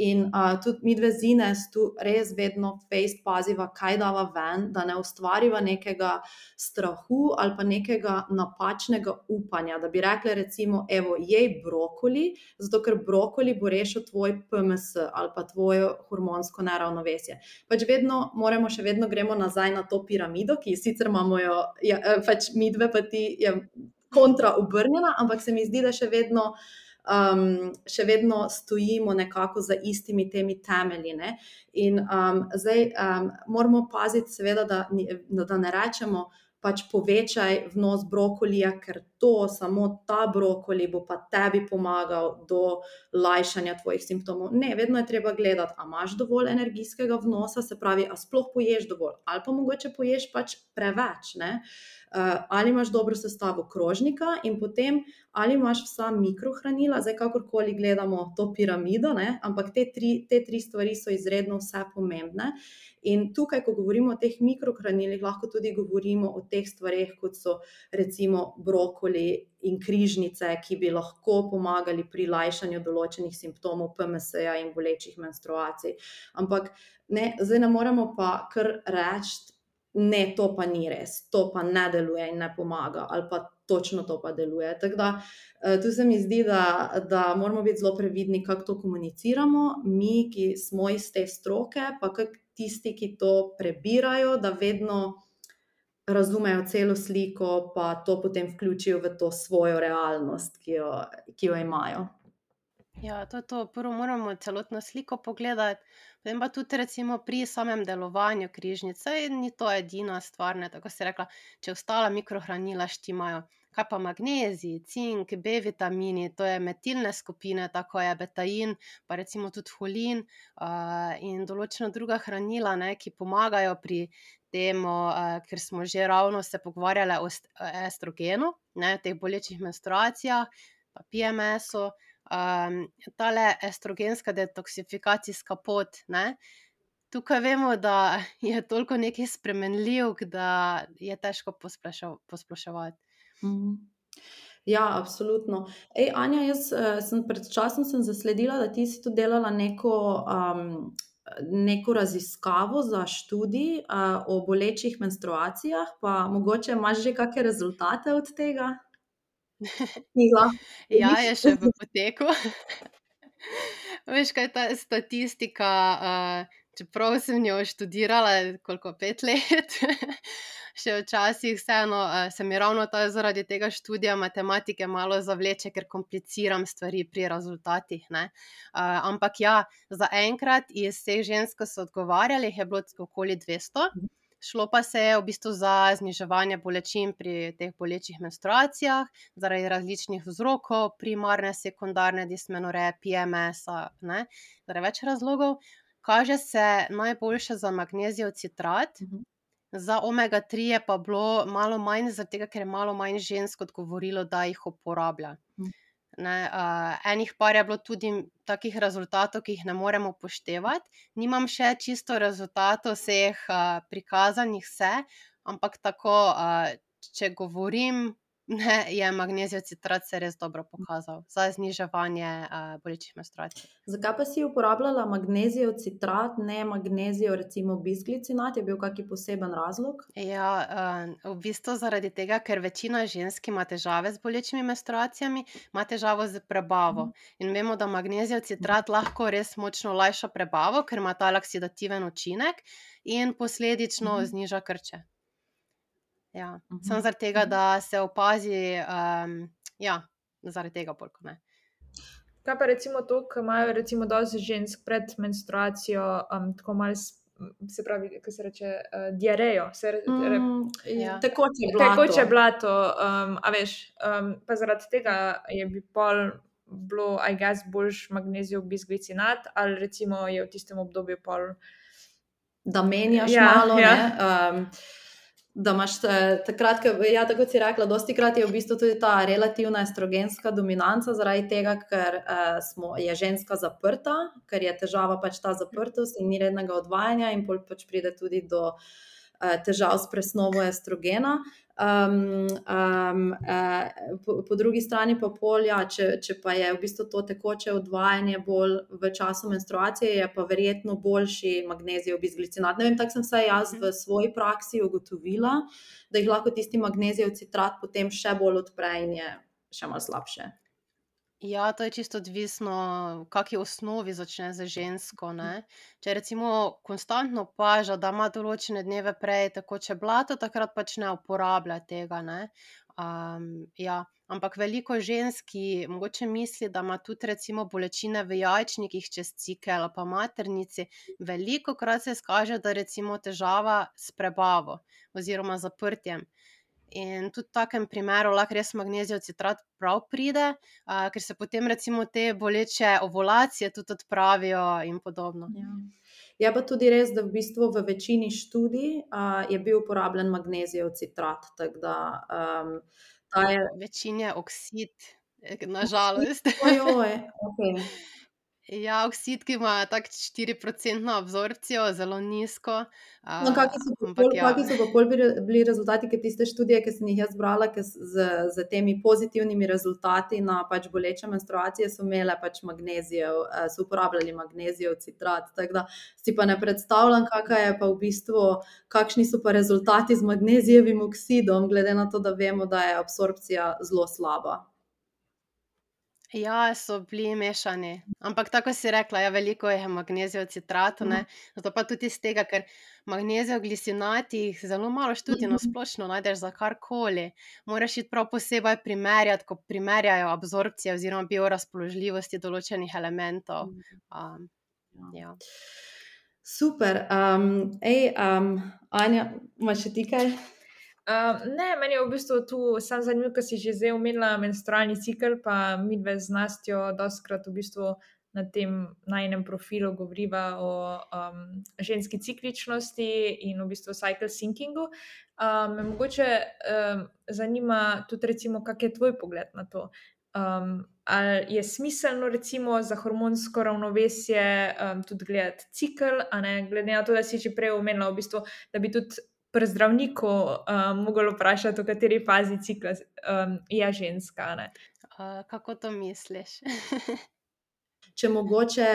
C: In uh, tudi mi dve z Ines tu res vedno fejst paziva, kaj dava ven, da ne ustvariva nekega strahu ali pa nekega napačnega upanja, da bi rekli recimo, evo, jej brokoli, zato ker brokoli bo rešil tvoj P M S ali pa tvoje hormonsko neravnovesje. Pač vedno, moramo še vedno gremo nazaj na to piramido, ki sicer imamo jo, ja, pač mi dve pa ti je kontra obrnjena, ampak se mi zdi, da še vedno Um, še vedno stojimo nekako za istimi temi temelji, ne? In um, zdaj um, moramo paziti seveda, da, da ne rečemo pač povečaj vnos brokolija, ker to, samo ta brokoli bo pa tebi pomagal do lajšanja tvojih simptomov. Ne, vedno je treba gledati, a imaš dovolj energijskega vnosa, se pravi, a sploh poješ dovolj, ali pa mogoče poješ pač preveč, ne? Uh, ali imaš dobro sestavo krožnika in potem ali imaš vsa mikrohranila, zdaj kakorkoli gledamo to piramido, ne? Ampak te tri, te tri stvari so izredno vse pomembne. In tukaj, ko govorimo o teh mikrohranilih, lahko tudi govorimo o teh stvareh, kot so recimo brokoli in križnice, ki bi lahko pomagali pri lajšanju določenih simptomov P M S-ja in bolečih menstruacij. Ampak ne, zdaj ne moremo pa kar reči, ne, to pa ni res, to pa ne deluje in ne pomaga, ali pa točno to pa deluje. Tako da, tu se mi zdi, da, da moramo biti zelo previdni, kako to komuniciramo, mi, ki smo iz te stroke, pa kak tisti, ki to prebirajo, da vedno razumejo celo sliko, pa to potem vključijo v to svojo realnost, ki jo, ki jo imajo.
A: Ja, to je to. Prvo moramo celotno sliko pogledati, potem pa tudi recimo pri samem delovanju križnice, ni to edina stvar, ne, tako si rekla, če ostala mikrohranila štimajo, kaj pa magnezij, cink, B vitamini, to je metilne skupine, tako je betain, pa recimo tudi holin uh, in določena druga hranila, ne, ki pomagajo pri temu, uh, ker smo že ravno se pogovarjali o estrogenu, ne, teh bolečih menstruacijah, pa P M S-u. Um, tale estrogenska detoksifikacijska pot, ne? Tukaj vemo, da je toliko nekih spremenljivk, da je težko posploševati.
C: Mm. Ja, absolutno. Ej, Anja, jaz sem pred časom sem zasledila, da ti si tu delala neko, um, neko raziskavo za študij uh, o bolečih menstruacijah, pa mogoče imaš že kakšne rezultate od tega?
A: Ja, je še v poteku. Veš, kaj je ta statistika, uh, čeprav sem jo študirala koliko, pet let, še včasih vseeno uh, se mi ravno ta, zaradi tega študija matematike malo zavleče, ker kompliciram stvari pri rezultatih, ne. Uh, ampak ja, zaenkrat iz vseh žensk, ki so odgovarjali, je bilo okoli dvesto. Šlo pa se je v bistvu za zniževanje bolečin pri teh bolečih menstruacijah, zaradi različnih vzrokov, primarne, sekundarne dismenorreje, P M S-a, ne, zaradi več razlogov. Kaže se najboljše za magnezijev citrat,
C: Mhm.
A: za omega tri je pa bilo malo manj, zaradi tega, ker je malo manj žensk odgovorilo, da jih uporablja.
C: Mhm.
A: Ne, uh, enih par je bilo tudi takih rezultatov, ki jih ne moremo upoštevati. Nimam še čisto rezultatov vseh uh, prikazanih vse, ampak tako, uh, če govorim Ne, je magnezijev citrat se res dobro pokazal za zniževanje uh, bolečih menstruacij.
C: Zakaj pa si uporabljala magnezijev citrat, ne magnezijev recimo bisglicinat? Je bil kakšen poseben razlog?
A: Ja, uh, v bistvu zaradi tega, ker večina žensk ima težave z bolečimi menstruacijami, ima težavo z prebavo. In vemo, da magnezijev citrat lahko res močno olajša prebavo, ker ima ta laksidativen učinek in posledično
C: Mhm.
A: zniža krče. Ja,
C: Mhm.
A: samo zaradi tega, da se opazi, um, ja, zaradi tega bolj kot ne.
B: Kaj pa recimo to, ko imajo recimo dosti žensk pred menstruacijo um, tako malo, s- se pravi, kako se reče, uh, diarejo, se re, re,
C: Mm,
A: Ja.
C: tekoče blato.
B: tekoče blato, um, a veš, um, pa zaradi tega je bi pol bilo, I guess, boljš magnezijev bisglicinat, ali recimo je v tistem obdobju pol.
C: Da menjaš
B: Ja,
C: malo,
B: ja.
C: ne, um, da imaš te- takrat, ko, ja, tako kot si rekla, dostikrat je v bistvu tudi ta relativna estrogenska dominanca, zaradi tega, ker uh, smo, je ženska zaprta, ker je težava pač ta zaprtost in ni rednega odvajanja in pol pač pride tudi do uh, težav s presnovo estrogena. Um, um, uh, po, po drugi strani pa pol, ja, če, če pa je v bistvu to tekoče odvajanje bolj v času menstruacije, je pa verjetno boljši magnezijev bisglicinat. Ne vem, tako sem vsaj jaz v svoji praksi ugotovila, da jih lahko tisti magnezijev citrat potem še bolj odpre in je še malo slabše.
A: Ja, to je čisto odvisno, v kakšni osnovi začne za žensko. Ne? Če recimo konstantno opaža, da ima določene dneve prej tekoče blato, takrat pač ne uporablja tega. Ne? Um, ja. Ampak veliko žensk mogoče misli, da ima tudi recimo bolečine v jajčnikih čez cikel ali pa maternici. Veliko krat se skaže, da recimo težava s prebavo oziroma zaprtjem. In tudi v takem primeru lahko res magnezijev citrat prav pride, uh, ker se potem recimo te boleče ovulacije tudi odpravijo in podobno.
C: Ja. Je pa tudi res, da v bistvu v večini študij uh, je bil uporabljen magnezijev citrat, tako da um, ta je...
A: Večin je oksid, eh, nažalost.
C: Ojoj, okay.
A: Ja, oksid, ki ima tako štiriprocentno absorpcijo, zelo nizko.
C: No,
A: Uh,
C: kakšni so pa
A: ampak
C: pol,
A: ja.
C: kakšni so pa pol bili, bili rezultati, ker tiste študije, ki sem jih jaz brala, ki s- z, z temi pozitivnimi rezultati na pač boleče menstruacije so imele pač magnezijev, eh, so uporabljali magnezijev citrat, tako da si pa ne predstavljam, kakšna je pa v bistvu, kakšni so pa rezultati z magnezijevim oksidom, glede na to, da vemo, da je absorpcija zelo slaba.
A: Ja, so bili mešani. Ampak tako kot si rekla, ja, veliko je magnezijev citratov, ne. Zato pa tudi iz tega, ker magnezijev glisinatih zelo malo študij na
C: Mhm.
A: splošno najdeš za karkoli. Moraš iti prav posebej primerjati, ko primerjajo absorpcije oziroma biorazpoložljivosti določenih elementov. Um, ja.
C: Super. Um, ej, um, Anja, imaš še ti kaj?
B: Uh, ne, meni je v bistvu tu sam zanimivo, ker si že zdaj omenila menstrualni cikel, pa midve z Nastjo dostkrat v bistvu na tem najinem profilu govoriva o um, ženski cikličnosti in v bistvu cycle synchingu. Um, me mogoče um, zanima tudi recimo, kak je tvoj pogled na to. Um, ali je smiselno recimo za hormonsko ravnovesje um, tudi gledati cikel, a ne glede na to, da si že prej omenila v bistvu, da bi tudi pri zdravniku um, mogli vprašati, v kateri fazi cikla um, je ženska. Ne?
A: Uh, kako to misliš?
C: Če mogoče,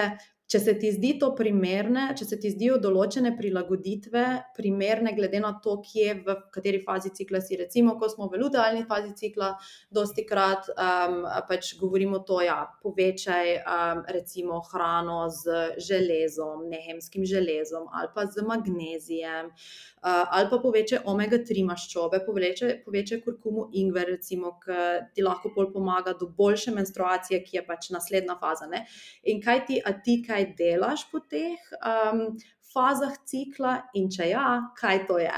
C: če se ti zdi to primerne, če se ti zdijo določene prilagoditve primerne glede na to, kje v kateri fazi cikla si, recimo, ko smo v lutealni fazi cikla, dosti krat um, pač govorimo to, ja, povečaj um, recimo hrano z železom, nehemskim železom ali pa z magnezijem, uh, ali pa povečaj omega tri maščobe, povečaj, povečaj kurkumu ingver, recimo, ki ti lahko bolj pomaga do boljše menstruacije, ki je pač naslednja faza, ne? In kaj ti, a ti kaj delaš po teh um, fazah cikla in če ja, kaj to je?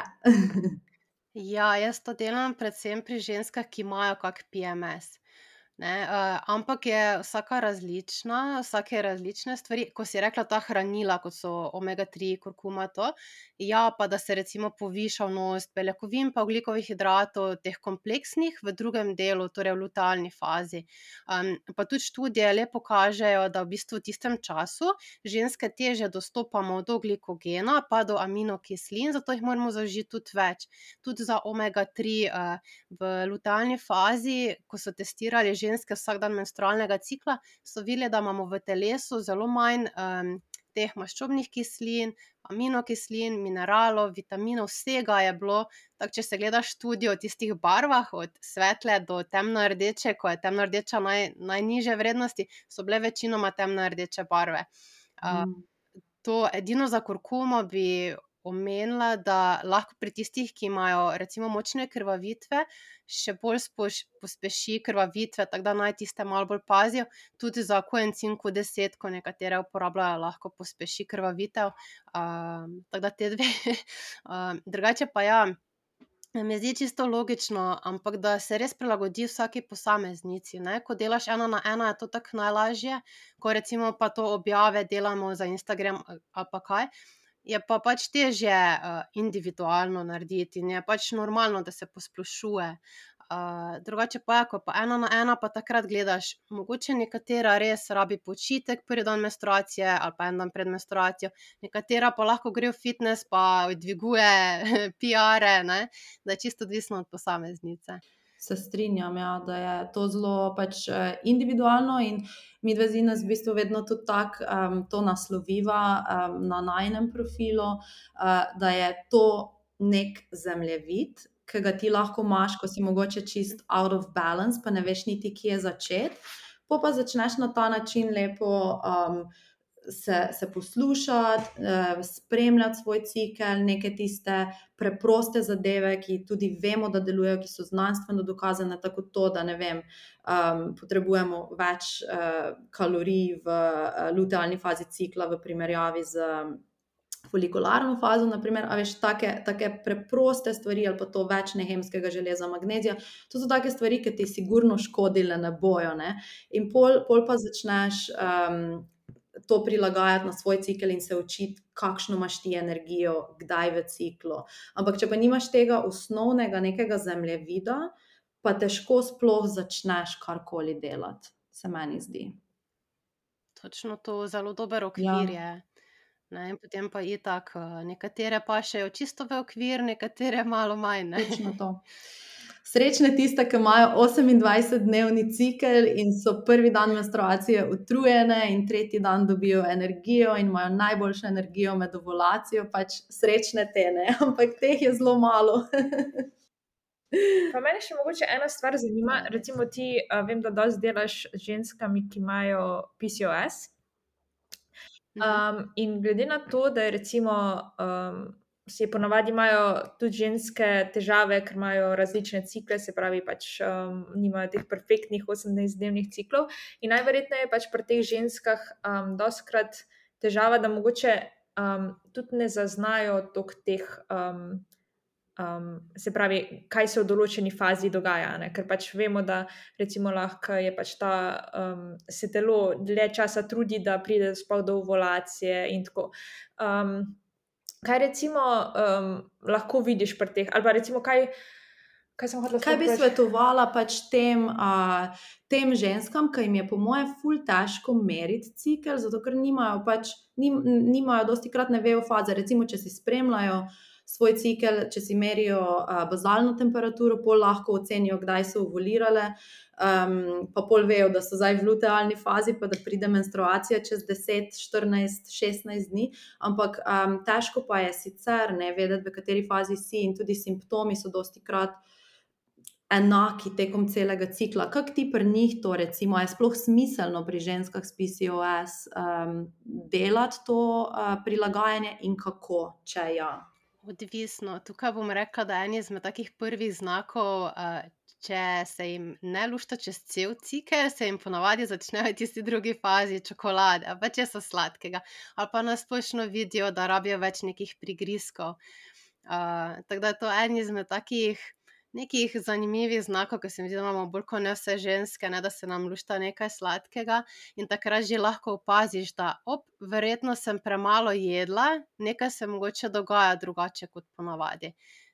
A: Ja, jaz to delam predvsem pri ženskah, ki imajo kak P M S. Ne, uh, ampak je vsaka različna, vsake različne stvari. Ko si rekla ta hranila, kot so omega tri, kurkuma, to, ja, pa da se recimo poviša vnos beljakovin pa ogljikovih hidratov, teh kompleksnih v drugem delu, torej v lutealni fazi. Um, pa tudi študije lepo kažejo, da v bistvu v tistem času ženske težje dostopamo do glikogena pa do aminokislin, zato jih moramo zaužiti tudi več. Tudi za omega tri uh, v lutealni fazi, ko so testirali ženske vsak dan menstrualnega cikla, so videli, da imamo v telesu zelo manj um, teh maščobnih kislin, aminokislin, mineralov, vitaminov, vsega je bilo. Tako, če se gleda študijo o tistih barvah, od svetle do temno-rdeče, ko je temno-rdeča naj, najnižje vrednosti, so bile večinoma temno-rdeče barve. Uh,
C: Mm.
A: To edino za kurkumo bi omenila, da lahko pri tistih, ki imajo recimo močne krvavitve, še bolj spoš, pospeši krvavitve, tako da naj tiste malo bolj pazijo. Tudi za koencim Q deset, ko nekatere uporabljajo, lahko pospeši krvavitev. Um, tako da te dve. um, drugače pa ja, mi zdi čisto logično, ampak da se res prilagodi vsaki posameznici. Ne? Ko delaš ena na ena, je to tako najlažje, ko recimo pa to objave delamo za Instagram ali pa kaj, je pa pač težje uh, individualno narediti in je pač normalno, da se posplošuje. Uh, drugače pa je, ko pa ena na ena, pa takrat gledaš, mogoče nekatera res rabi počitek prvi dan menstruacije ali pa en dan pred menstruacijo, nekatera pa lahko gre v fitness pa dviguje P R-e, ne? Da je čisto odvisno od posameznice.
C: Se strinjam, ja, da je to zelo pač eh, individualno in mi dve z Ines v bistvu vedno tudi tako um, to nasloviva um, na najinem profilu, uh, da je to nek zemljevid, ki ga ti lahko imaš, ko si mogoče čist out of balance, pa ne veš niti, kje začeti. Po pa začneš na ta način lepo um, se, se poslušati, uh, spremljati svoj cikel, neke tiste preproste zadeve, ki tudi vemo, da delujejo, ki so znanstveno dokazane, tako to, da ne vem, um, potrebujemo več uh, kalorij v uh, lutealni fazi cikla v primerjavi z um, folikularno fazo, naprimer, a veš, take, take preproste stvari, ali pa to več nehemskega železa, magnezija, to so take stvari, ki ti sigurno škodile ne bojo, ne? In pol, pol pa začneš um, to prilagajati na svoj cikel in se učiti, kakšno imaš ti energijo, kdaj v ciklu. Ampak če pa nimaš tega osnovnega nekega zemljevida, pa težko sploh začneš karkoli delati, se meni zdi.
A: Točno to, zelo dober okvir
C: Ja.
A: je. Ne, in potem pa itak, uh, nekatere pašejo čisto v okvir, nekatere malo manj. Ne?
C: Točno to. Srečne tiste, ki imajo osemindvajsetdnevni cikel in so prvi dan menstruacije utrujene in tretji dan dobijo energijo in imajo najboljšo energijo med ovulacijo, pač srečne te, ne, ampak teh je zelo malo.
B: Pa mene še mogoče ena stvar zanima, recimo ti, uh, vem, da dosti delaš z ženskami, ki imajo P C O S. Um, in glede na to, da je recimo, um, si ponavadi imajo tudi ženske težave, ker imajo različne cikle, se pravi, pač um, nimajo teh perfektnih osemnajstdnevnih ciklov. In najverjetneje pač pri teh ženskah um, dostikrat težava, da mogoče um, tudi ne zaznajo toliko teh, um, um, se pravi, kaj se v določeni fazi dogaja. Ne? Ker pač vemo, da recimo lahko je pač ta, um, se telo dlje časa trudi, da pride sploh do ovulacije in tako. Um, kaj recimo um, lahko vidiš pri teh, ali pa recimo kaj, kaj sem hotela
C: Kaj bi
B: sploh vprašati?
C: svetovala pač tem, a, tem ženskam, ki jim je po moje ful težko meriti cikel, zato ker nimajo pač, nim, nimajo dostikrat ne vejo faze. Recimo, če si spremljajo svoj cikel, če si merijo a, bazalno temperaturo, pol lahko ocenijo, kdaj so ovulirale, um, pa pol vejo, da so zdaj v lutealni fazi, pa da pride menstruacija čez deset, štirinajst, šestnajst dni, ampak um, težko pa je sicer ne vedeti, v kateri fazi si in tudi simptomi so dostikrat enaki tekom celega cikla. Kako ti pri njih to recimo, je sploh smiselno pri ženskah s P C O S um, delati to uh, prilagajanje in kako, če ja?
A: Odvisno. Tukaj bom rekla, da en izmed takih prvih znakov, uh, če se jim ne lušta čez cel cikel, se jim ponavadi začnejo v tisti drugi fazi čokolade, ali pa če so sladkega, ali pa nasplošno vidijo, da rabijo več nekih prigrizkov. Uh, tako da je to en izmed takih nekih zanimivih znakov, ki se mi zdi, da imamo bolj kot ne vse ženske, ne, da se nam lušta nekaj sladkega in takrat že lahko opaziš, da op, verjetno sem premalo jedla, nekaj se mogoče dogaja drugače kot ponavadi.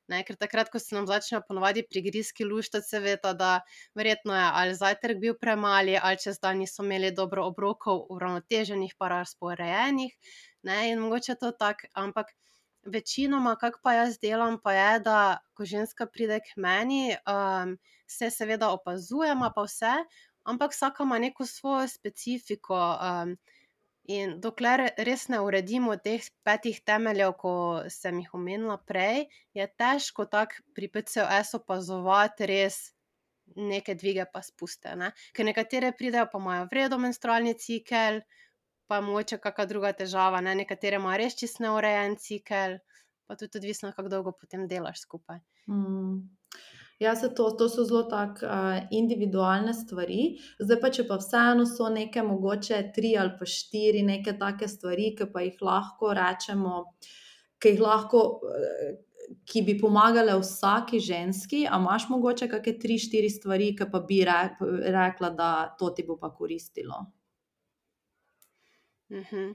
A: Ne, ker takrat, ko se nam začnejo ponavadi prigrizki luštati, se veta, da verjetno je ali zajtrk bil premali, ali čez dan niso imeli dobro obrokov uravnoteženih pa razporejenih, ne, in mogoče to tako, ampak večinoma, kako pa jaz delam, pa je, da ko ženska pride k meni, um, se seveda opazujemo pa vse, ampak vsaka ima neko svojo specifiko, um, in dokler res ne uredimo teh petih temeljev, ko sem jih omenila prej, je težko tako pri P C O S opazovati res neke dvige pa spuste, ne. Ker nekatere pridejo pa imajo v redu menstrualni cikel, pa mogoče kaka druga težava, ne, nekatere imajo res čisto neurejen cikel, pa tudi odvisno, kako dolgo potem delaš skupaj.
C: Mm. Ja, se to, to so zelo tak uh, individualne stvari. Zdaj pa, če pa vseeno so neke mogoče tri ali pa štiri neke take stvari, ki pa jih lahko rečemo, ki jih lahko, uh, ki bi pomagale vsaki ženski, a imaš mogoče kakšne tri, štiri stvari, ki pa bi re, rekla, da to ti bo pa koristilo?
A: Mhm.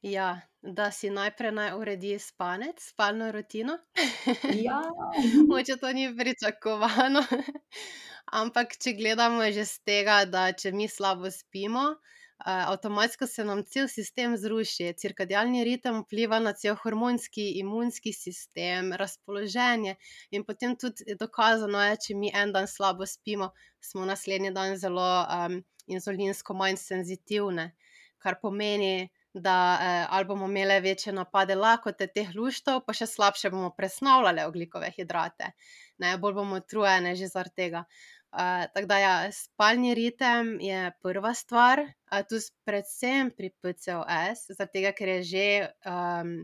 A: Ja, da si najprej naj uredi spanec, spalno rutino.
C: Ja.
A: Mogoče to ni pričakovano, ampak če gledamo že s tega, da če mi slabo spimo, uh, avtomatsko se nam cel sistem zruši. Cirkadialni ritem vpliva na cel hormonski, imunski sistem, razpoloženje in potem tudi dokazano je, če mi en dan slabo spimo, smo naslednji dan zelo um, inzulinsko manj senzitivne, kar pomeni, da eh, ali bomo imele večje napade lakote, teh luštov, pa še slabše bomo presnavljale ogljikove hidrate. Ne, bolj bomo utrujene že zaradi tega. Uh, tako da ja, spalni ritem je prva stvar, uh, tu predvsem pri P C O S, zaradi tega, ker je že um,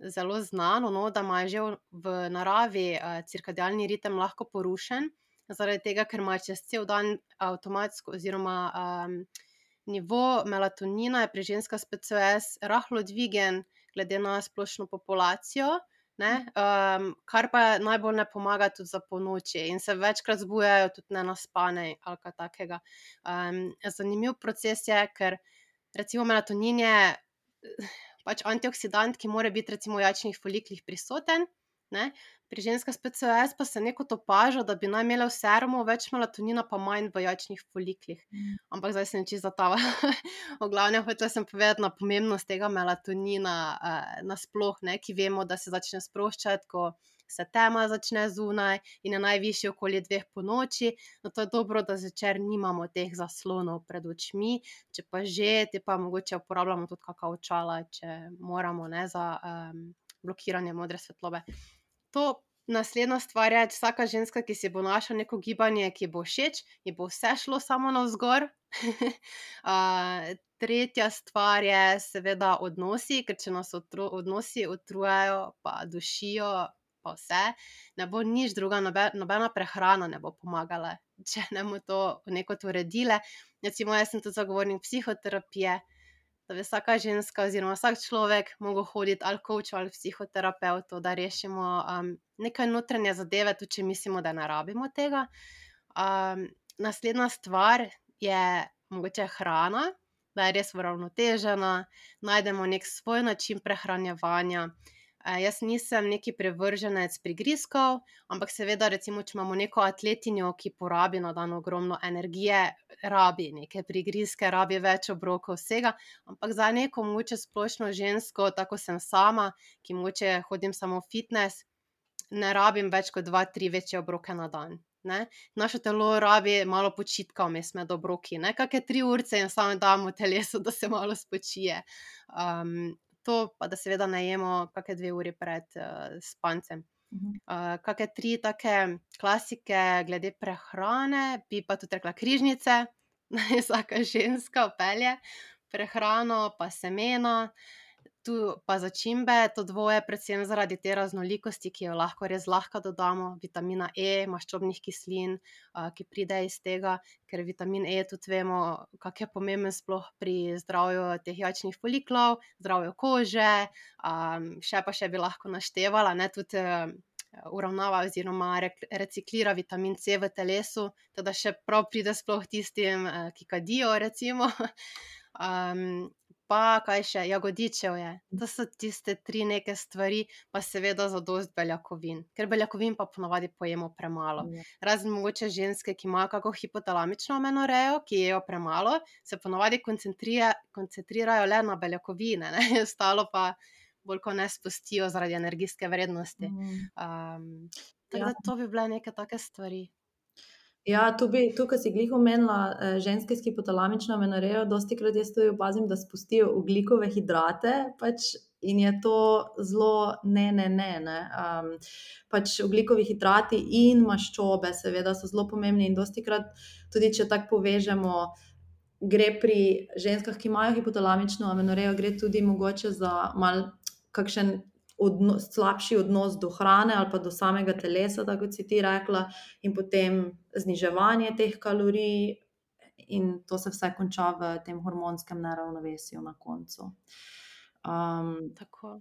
A: zelo znano, no, da ima že v, v naravi uh, cirkadialni ritem lahko porušen, zaradi tega, ker ima čez cel dan avtomatsko oziroma um, nivo melatonina je pri ženskah s P C O S rahlo dvigen glede na splošno populacijo, ne, um, kar pa najbolj ne pomaga tudi za ponoči in se večkrat zbujajo tudi nenaspane ali kaj takega. Um, zanimiv proces je, ker recimo melatonin je pač antioksidant, ki mora biti recimo v jajčnih foliklih prisoten, ne. Pri ženskah s P C O S pa se nekot opaža, da bi naj imele v serumu več melatonina pa manj v jajčnih foliklih. Ampak zdaj sem čisto zatavala. V glavnem hotela sem povedati na pomembnost tega melatonina uh, nasploh, ne, ki vemo, da se začne sproščati, ko se tema začne zunaj in je najvišji okoli dveh ponoči. No, to je dobro, da zvečer nimamo teh zaslonov pred očmi, če pa že, te pa mogoče uporabljamo tudi kakšna očala, če moramo, ne, za um, blokiranje modre svetlobe. To naslednja stvar je, vsaka ženska, ki si bo našla neko gibanje, ki bo všeč, ji bo vse šlo samo navzgor. uh, tretja stvar je seveda odnosi, ker če nas otro, odnosi utrujajo, pa dušijo, pa vse, ne bo nič druga, nobe, nobena prehrana ne bo pomagala, če ne bomo to nekot uredile. Recimo, jaz sem tudi zagovornik psihoterapije, da bi vsaka ženska oziroma vsak človek mogel hoditi ali coachu ali psihoterapeutu, da rešimo um, nekaj notranje zadeve, tudi če mislimo, da ne rabimo tega. Um, naslednja stvar je mogoče hrana, da je res uravnotežena, najdemo nek svoj način prehranjevanja. Uh, jaz nisem neki prevrženec prigrizkov, ampak seveda recimo, če imamo neko atletinjo, ki porabi na dan ogromno energije, rabi neke prigrizke, rabi več obrokov vsega, ampak za neko mogoče splošno žensko, tako sem sama, ki mogoče hodim samo v fitness, ne rabim več kot dva, tri večje obroke na dan. Ne? Naše telo rabi malo počitka vmes med obroki, ne kakšne tri urce in samo damo telesu, da se malo spočije. Um, to pa, da seveda ne jemo kakšne dve uri pred uh, spancem. Uh, kakšne tri take klasike glede prehrane, bi pa tudi rekla križnice, vsaka ženska vpelje, prehrano pa semena, tu pa začimbe, to dvoje predvsem zaradi te raznolikosti, ki jo lahko res lahko dodamo, vitamina E, maščobnih kislin, uh, ki pride iz tega, ker vitamin E tudi vemo, kak je pomemben sploh pri zdravju teh jajčnih foliklov, zdravju kože, um, še pa še bi lahko naštevala, ne, tudi uh, uravnava oziroma rek- reciklira vitamin C v telesu, teda še prav pride sploh tistim, eh, ki kadijo, recimo. Um, pa kaj še, jagodičev je. To so tiste tri neke stvari, pa seveda zadost beljakovin. Ker beljakovin pa ponavadi pojemo premalo.
C: Ja.
A: Razen mogoče ženske, ki imajo kako hipotalamično amenorejo, ki jejo premalo, se ponavadi koncentrira, koncentrirajo le na beljakovine, ne? Ostalo pa bolj ko ne spustijo zaradi energijske vrednosti.
C: Mm.
A: Um, tako
C: Ja.
A: da to bi bile neke take stvari.
C: Ja, tu bi, tukaj si glih omenila eh, ženske s hipotalamično amenorejo, dosti krat jaz tudi opazim, da spustijo ogljikove hidrate, pač in je to zelo ne, ne, ne, ne. Um, pač ogljikovi hidrati in maščobe seveda so zelo pomembni in dosti krat tudi, če tako povežemo, gre pri ženskah, ki imajo hipotalamično amenorejo, gre tudi mogoče za mal kakšen odnos, slabši odnos do hrane ali pa do samega telesa, tako kot si ti rekla, in potem zniževanje teh kalorij, in to se vse konča v tem hormonskem neravnovesju na koncu. Um,
A: Tako.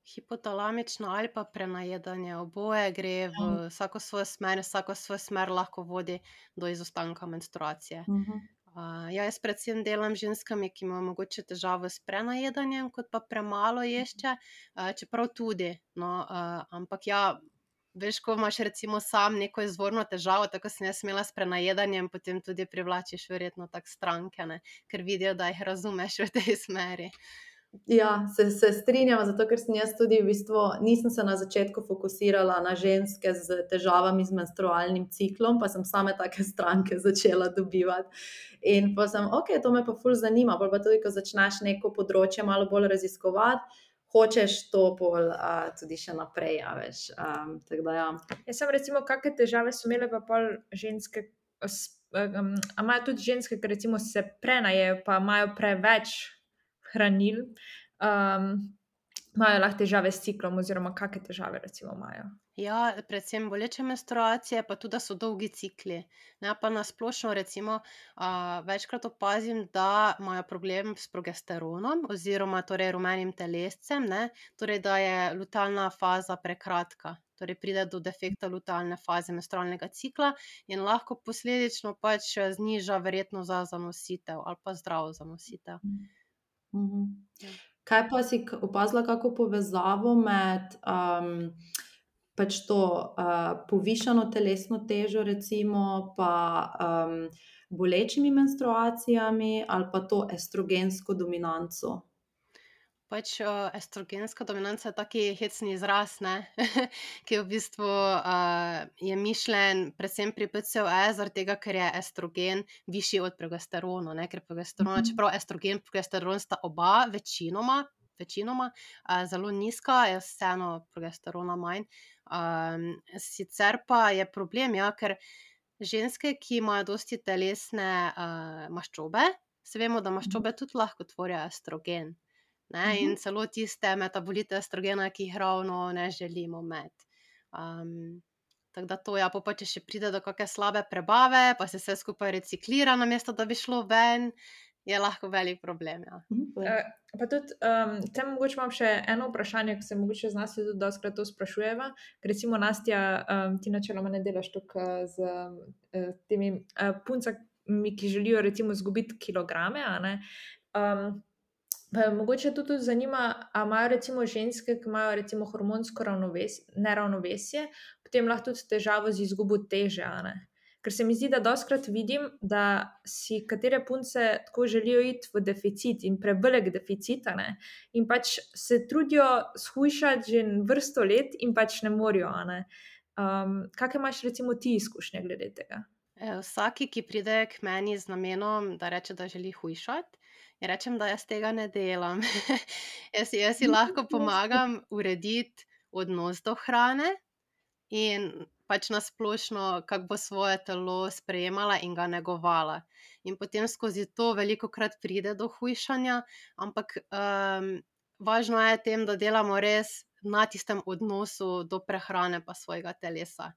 A: Hipotalamično ali pa prenajedanje, oboje gre v vsako svojo smer, vsako svojo smer lahko vodi do izostanka menstruacije.
C: uh-huh.
A: Uh, ja, jaz predvsem delam z ženskami, ki imajo mogoče težavo s prenajedanjem, kot pa premalo ješče, uh, čeprav tudi, no, uh, ampak ja, veš, ko imaš recimo sam neko izvorno težavo, tako sem jaz imela s prenajedanjem, potem tudi privlačiš verjetno tak stranke, ne, ker vidijo, da jih razumeš v tej smeri.
C: Ja, se, se strinjam, zato ker sem jaz tudi v bistvu, nisem se na začetku fokusirala na ženske z težavami z menstrualnim ciklom, pa sem same take stranke začela dobivati. In pa sem, ok, to me pa ful zanima, pa, pa tudi, ko začneš neko področje malo bolj raziskovati, hočeš to pol uh, tudi še naprej, ja, veš. Um, tako da ja.
B: Jaz sem recimo, kakšne težave so imele pa pol ženske, s- um, a imajo tudi ženske, ki recimo se prenajejo, pa imajo preveč hranil, um, imajo lahko težave s ciklom, oziroma kakšne težave recimo imajo.
A: Ja, predvsem boleče menstruacije, pa tudi, da so dolgi cikli. Ne, pa na splošno recimo a, večkrat opazim, da imajo problem s progesteronom oziroma torej rumenim telescem, ne, torej da je lutealna faza prekratka. Torej pride do defekta lutealne faze menstrualnega cikla in lahko posledično pač zniža verjetnost za zanositev ali pa zdravo zanositev.
C: Mhm.
A: Ja.
C: Kaj pa si k- opazila kako povezavo med um, pač to uh, povišano telesno težo, recimo, pa um, bolečimi menstruacijami ali pa to estrogensko dominanco?
A: Pač uh, estrogenska dominanca je taki hecni izraz, ne? ki v bistvu uh, je mišljen predvsem pri P C O S, zaradi tega, ker je estrogen višji od progesterona, ne? Ker progesterona,
C: Mhm.
A: čeprav estrogen in progesteron sta oba večinoma, večinoma uh, zelo nizka, je vseeno progesterona manj. Um, sicer pa je problem, ja, ker ženske, ki imajo dosti telesne uh, maščobe, se vemo, da maščobe tudi lahko tvorijo estrogen. Ne, in
C: Mhm.
A: celo tiste metabolite estrogena, ki jih ravno ne želimo imeti. Um, tako da to, ja, pol pa če še pride do kakšne slabe prebave, pa se vse skupaj reciklira, namesto da bi šlo ven, je lahko velik problem. Ja.
C: Mhm.
B: Uh, pa tudi, um, tem mogoče imam še eno vprašanje, ki se mogoče z nas tudi dostkrat to sprašujeva, ker recimo Nastja, um, ti načeloma ne delaš tukaj z uh, temi uh, puncami, ki želijo recimo izgubiti kilograme, a ne. Um, pa me mogoče to tudi zanima, a imajo recimo ženske, ki imajo recimo hormonsko ravnovesje, neravnovesje, potem lahko tudi težavo z izgubo teže, a ne. Ker se mi zdi, da dostkrat vidim, da si katere punce tako želijo iti v deficit in prevelik deficit, a ne, in pač se trudijo shujšati že vrsto let in pač ne morejo, a ne. Um, kakšne imaš recimo ti izkušnje glede tega?
A: E, Vsaki, ki pride k meni z namenom, da reče, da želi hujšati, ja rečem, da jaz tega ne delam. jaz, si- jaz si lahko pomagam urediti odnos do hrane in pač na splošno, kako bo svoje telo sprejemala in ga negovala. In potem skozi to veliko krat pride do hujšanja, ampak um, važno je tem, da delamo res na tistem odnosu do prehrane pa svojega telesa.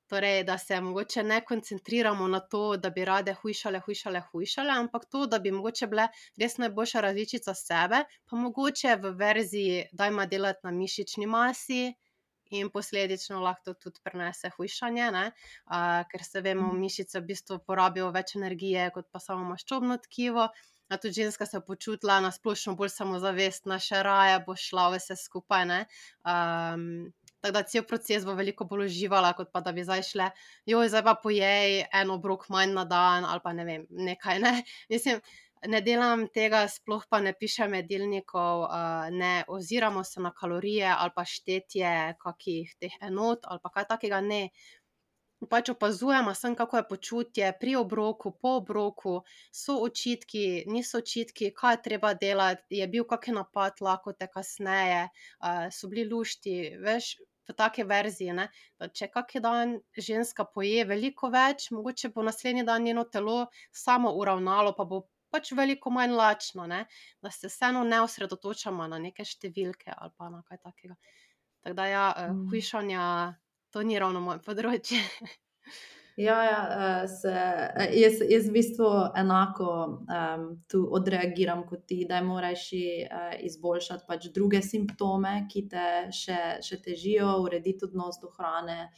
A: Torej, da se mogoče ne koncentriramo na to, da bi rade hujšale, hujšale, hujšale, ampak to, da bi mogoče bile res najboljša različica sebe, pa mogoče v verziji, dajmo delati na mišični masi, in posledično lahko to tudi prenese hujšanje, ne, uh, ker se vemo, mišice v bistvu porabijo več energije kot pa samo maščobno tkivo. A tudi ženska se je počutila na splošno bolj samozavestna, še raje bo šla vse skupaj, ne. Um, tako da cel proces bo veliko bolj uživala, kot pa da bi zdaj šle, joj, zdaj pa pojej en obrok manj na dan ali pa ne vem, nekaj, ne. Mislim, ne delam tega, sploh pa ne pišem jedilnikov, uh, ne oziramo se na kalorije ali pa štetje kakih teh enot ali pa kaj takega, ne. Pač opazujemo samo, kako je počutje pri obroku, po obroku, so očitki, niso očitki, kaj je treba delati, je bil kak napad lakote kasneje, uh, so bili lušti, veš, v taki verziji, ne. Da če kak dan ženska poje veliko več, mogoče bo naslednji dan njeno telo samo uravnalo, pa bo pač veliko manj lačno, ne. Da se vseeno ne osredotočamo na neke številke ali pa na kaj takega. Tako da ja, uh,
C: Mm.
A: hujšanja, to ni ravno moje področje.
C: Ja, ja, eh, se, eh, jaz, jaz v bistvu enako um, tu odreagiram kot ti, da moraš uh, izboljšati pač druge simptome, ki te še, še težijo, urediti odnos do hrane,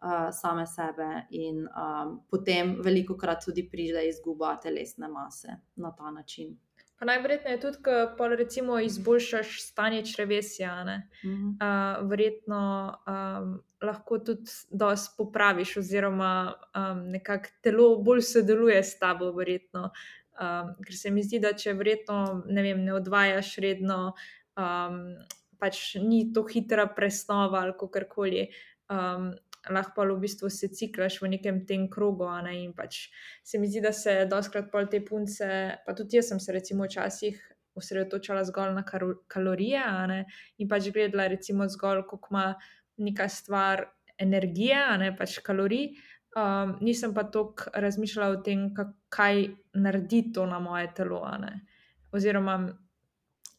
C: uh, same sebe in um, potem veliko krat tudi pride izguba telesne mase na ta način.
B: Pa najverjetneje tudi, ko pol recimo izboljšaš stanje črevesja, ne,
C: Mhm.
B: uh, verjetno um, lahko tudi dosti popraviš oziroma um, nekako telo bolj sodeluje s tabo verjetno. Um, ker se mi zdi, da če verjetno, ne vem, ne odvajaš redno, um, pač ni to hitra presnova ali kakorkoli, um, lahko pa v bistvu se ciklaš v nekem tem krogu, a ne, in pač se mi zdi, da se dostikrat pol te punce, pa tudi jaz sem se recimo včasih osredotočala zgolj na karo- kalorije, a ne, in pač gledala recimo zgolj, koliko ima neka stvar energije, a ne, pač kalorij, um, nisem pa toliko razmišljala o tem, ka- kaj naredi to na moje telo, a ne, oziroma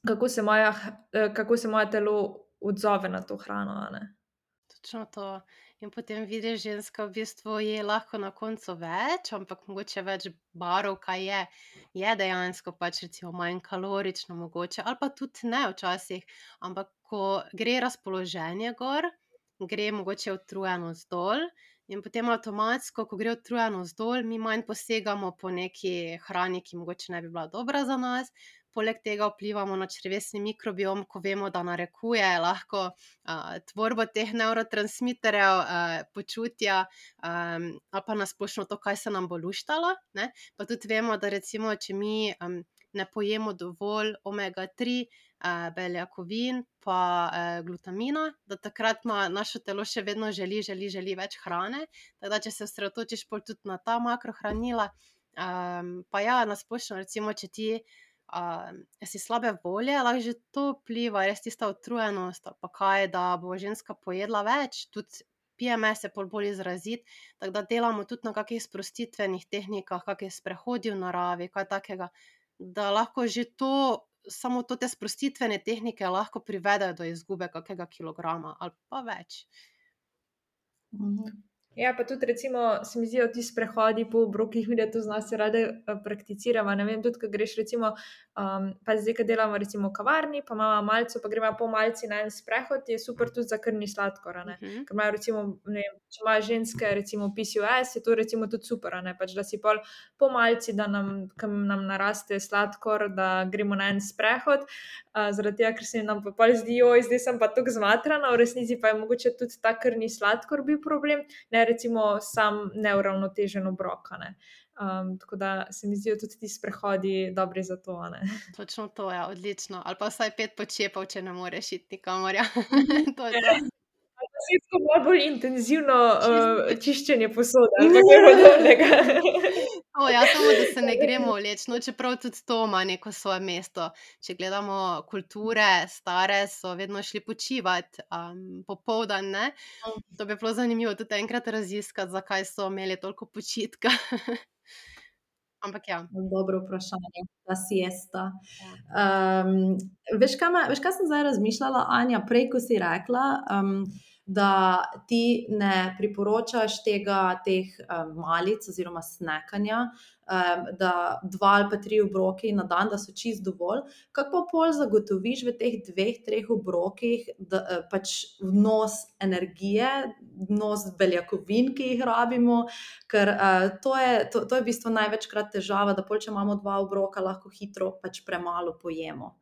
B: kako se moja, h- eh, kako se moje telo odzove na to hrano, a ne.
A: Točno to. In potem vidiš, ženska v bistvu je lahko na koncu več, ampak mogoče več barov, kaj je. Je dejansko pač recimo manj kalorično mogoče, ali pa tudi ne včasih, ampak ko gre razpoloženje gor, gre mogoče utrujenost dol in potem avtomatsko, ko gre utrujenost dol, mi manj posegamo po neki hrani, ki mogoče ne bi bila dobra za nas. Poleg tega vplivamo na črevesni mikrobiom, ko vemo, da narekuje lahko uh, tvorbo teh nevrotransmiterjev, uh, počutja, um, ali pa nasplošno to, kaj se nam bo luštalo, ne. Pa tudi vemo, da recimo, če mi um, ne pojemo dovolj omega tri uh, beljakovin pa uh, glutamina, da takrat ima naše telo še vedno želi, želi, želi več hrane. Tako da, če se osredotočiš pol tudi na ta makrohranila, um, pa ja, nasplošno recimo, če ti Uh, si slabe volje, lahko že to vpliva, res tista utrujenost ali pa kaj, da bo ženska pojedla več, tudi P M S je pol bolj izrazit, tako da delamo tudi na kakih sprostitvenih tehnikah, kakih sprehodi v naravi, kaj takega, da lahko že to, samo to te sprostitvene tehnike lahko privedejo do izgube kakega kilograma ali pa več.
C: Mhm.
B: Ja, pa tudi recimo se mi zdijo ti sprehodi po obrokih, mi da to z nas rade eh, prakticiramo. Ne vem, tudi, ko greš recimo, um, pa zdaj, ko delamo recimo v kavarni, pa imamo malco, pa gremo po malci na en sprehod, je super tudi za krvni sladkor, a ne.
A: Mhm.
B: Ker imajo recimo, ne vem, če imajo ženske recimo P C O S, je to recimo tudi super, a ne, pač da si pol po malci, da nam, ko nam naraste sladkor, da gremo na en sprehod, uh, zaradi tega, ker se nam pa pol zdi, joj, zdaj sem pa tako zmatrana, v resnici pa je mogoče tudi ta krvni sladkor bil problem, ne recimo sam neuravnotežen obrok, a ne. Um, tako da se mi zdijo tudi ti sprehodi dobri za to, a ne.
A: Točno to, ja, odlično. Ali pa vsaj pet počepov, če ne moreš iti nikamor, ja. To je to.
B: Ali pa si tako malo bolj intenzivno uh,
A: Čisto.
B: čiščenje posode ali pa kaj podobnega.
A: O, ja, samo da se ne gremo vleči, no, čeprav tudi to ima neko svoje mesto. Če gledamo kulture, stare so vedno šli počivat, um, popoldan, ne. To bi bilo zanimivo tudi enkrat raziskati, zakaj so imeli toliko počitka. Ampak ja.
C: Dobro vprašanje, ta siesta.
A: Ja.
C: Um, veš, kaj me, veš, kaj sem zdaj razmišljala, Anja, prej, ko si rekla, um, da ti ne priporočaš tega, teh um, malic oziroma snekanja, um, da dva ali pa tri obroki na dan, da so čist dovolj. Kako pa pol zagotoviš v teh dveh, treh obrokih da, pač vnos energije, vnos beljakovin, ki jih rabimo, ker uh, to, je, to, to je v bistvu največkrat težava, da pol, če imamo dva obroka, lahko hitro pač premalo pojemo.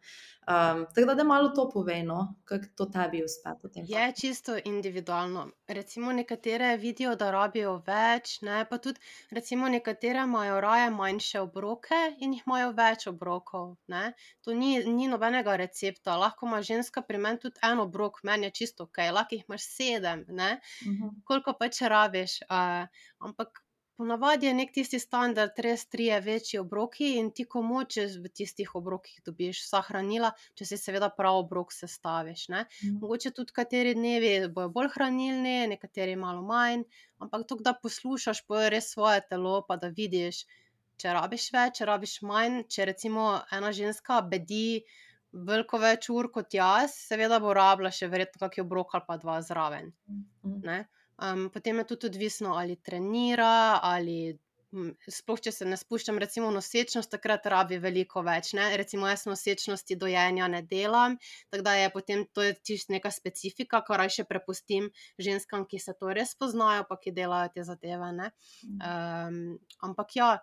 C: Um, tako da, da malo to povej, no, kako to tebi uspe potem.
A: Je čisto individualno. Recimo nekatere vidijo, da rabijo več, ne, pa tudi recimo nekatere imajo raje manjše obroke in jih imajo več obrokov, ne. To ni, ni nobenega recepta. Lahko ima ženska pri meni tudi en obrok, meni je čisto okej, lahko jih imaš sedem, ne,
C: Mhm.
A: koliko pač rabiš. Uh, ampak ponavadi je nek tisti standard, res trije večji obroki in ti ko močeš v tistih obrokih dobiš vsa hranila, če si seveda prav obrok sestaviš, ne.
C: Mhm.
A: Mogoče tudi kateri dnevi bojo bolj hranilni, nekateri malo manj, ampak to, da poslušaš pol res svoje telo, pa da vidiš, če rabiš več, če rabiš manj, če recimo ena ženska bedi veliko več ur kot jaz, seveda bo rabila še verjetno kak obrok ali pa dva zraven,
C: Mhm.
A: ne. Um, potem je tudi odvisno, ali trenira, ali m, sploh, če se ne spuščam recimo v nosečnost, takrat rabi veliko več, ne. Recimo jaz nosečnosti dojenja ne delam, tako da je potem to je čisto neka specifika, ko rajše prepustim ženskam, ki se to res poznajo, pa ki delajo te zadeve, ne. Um, ampak ja,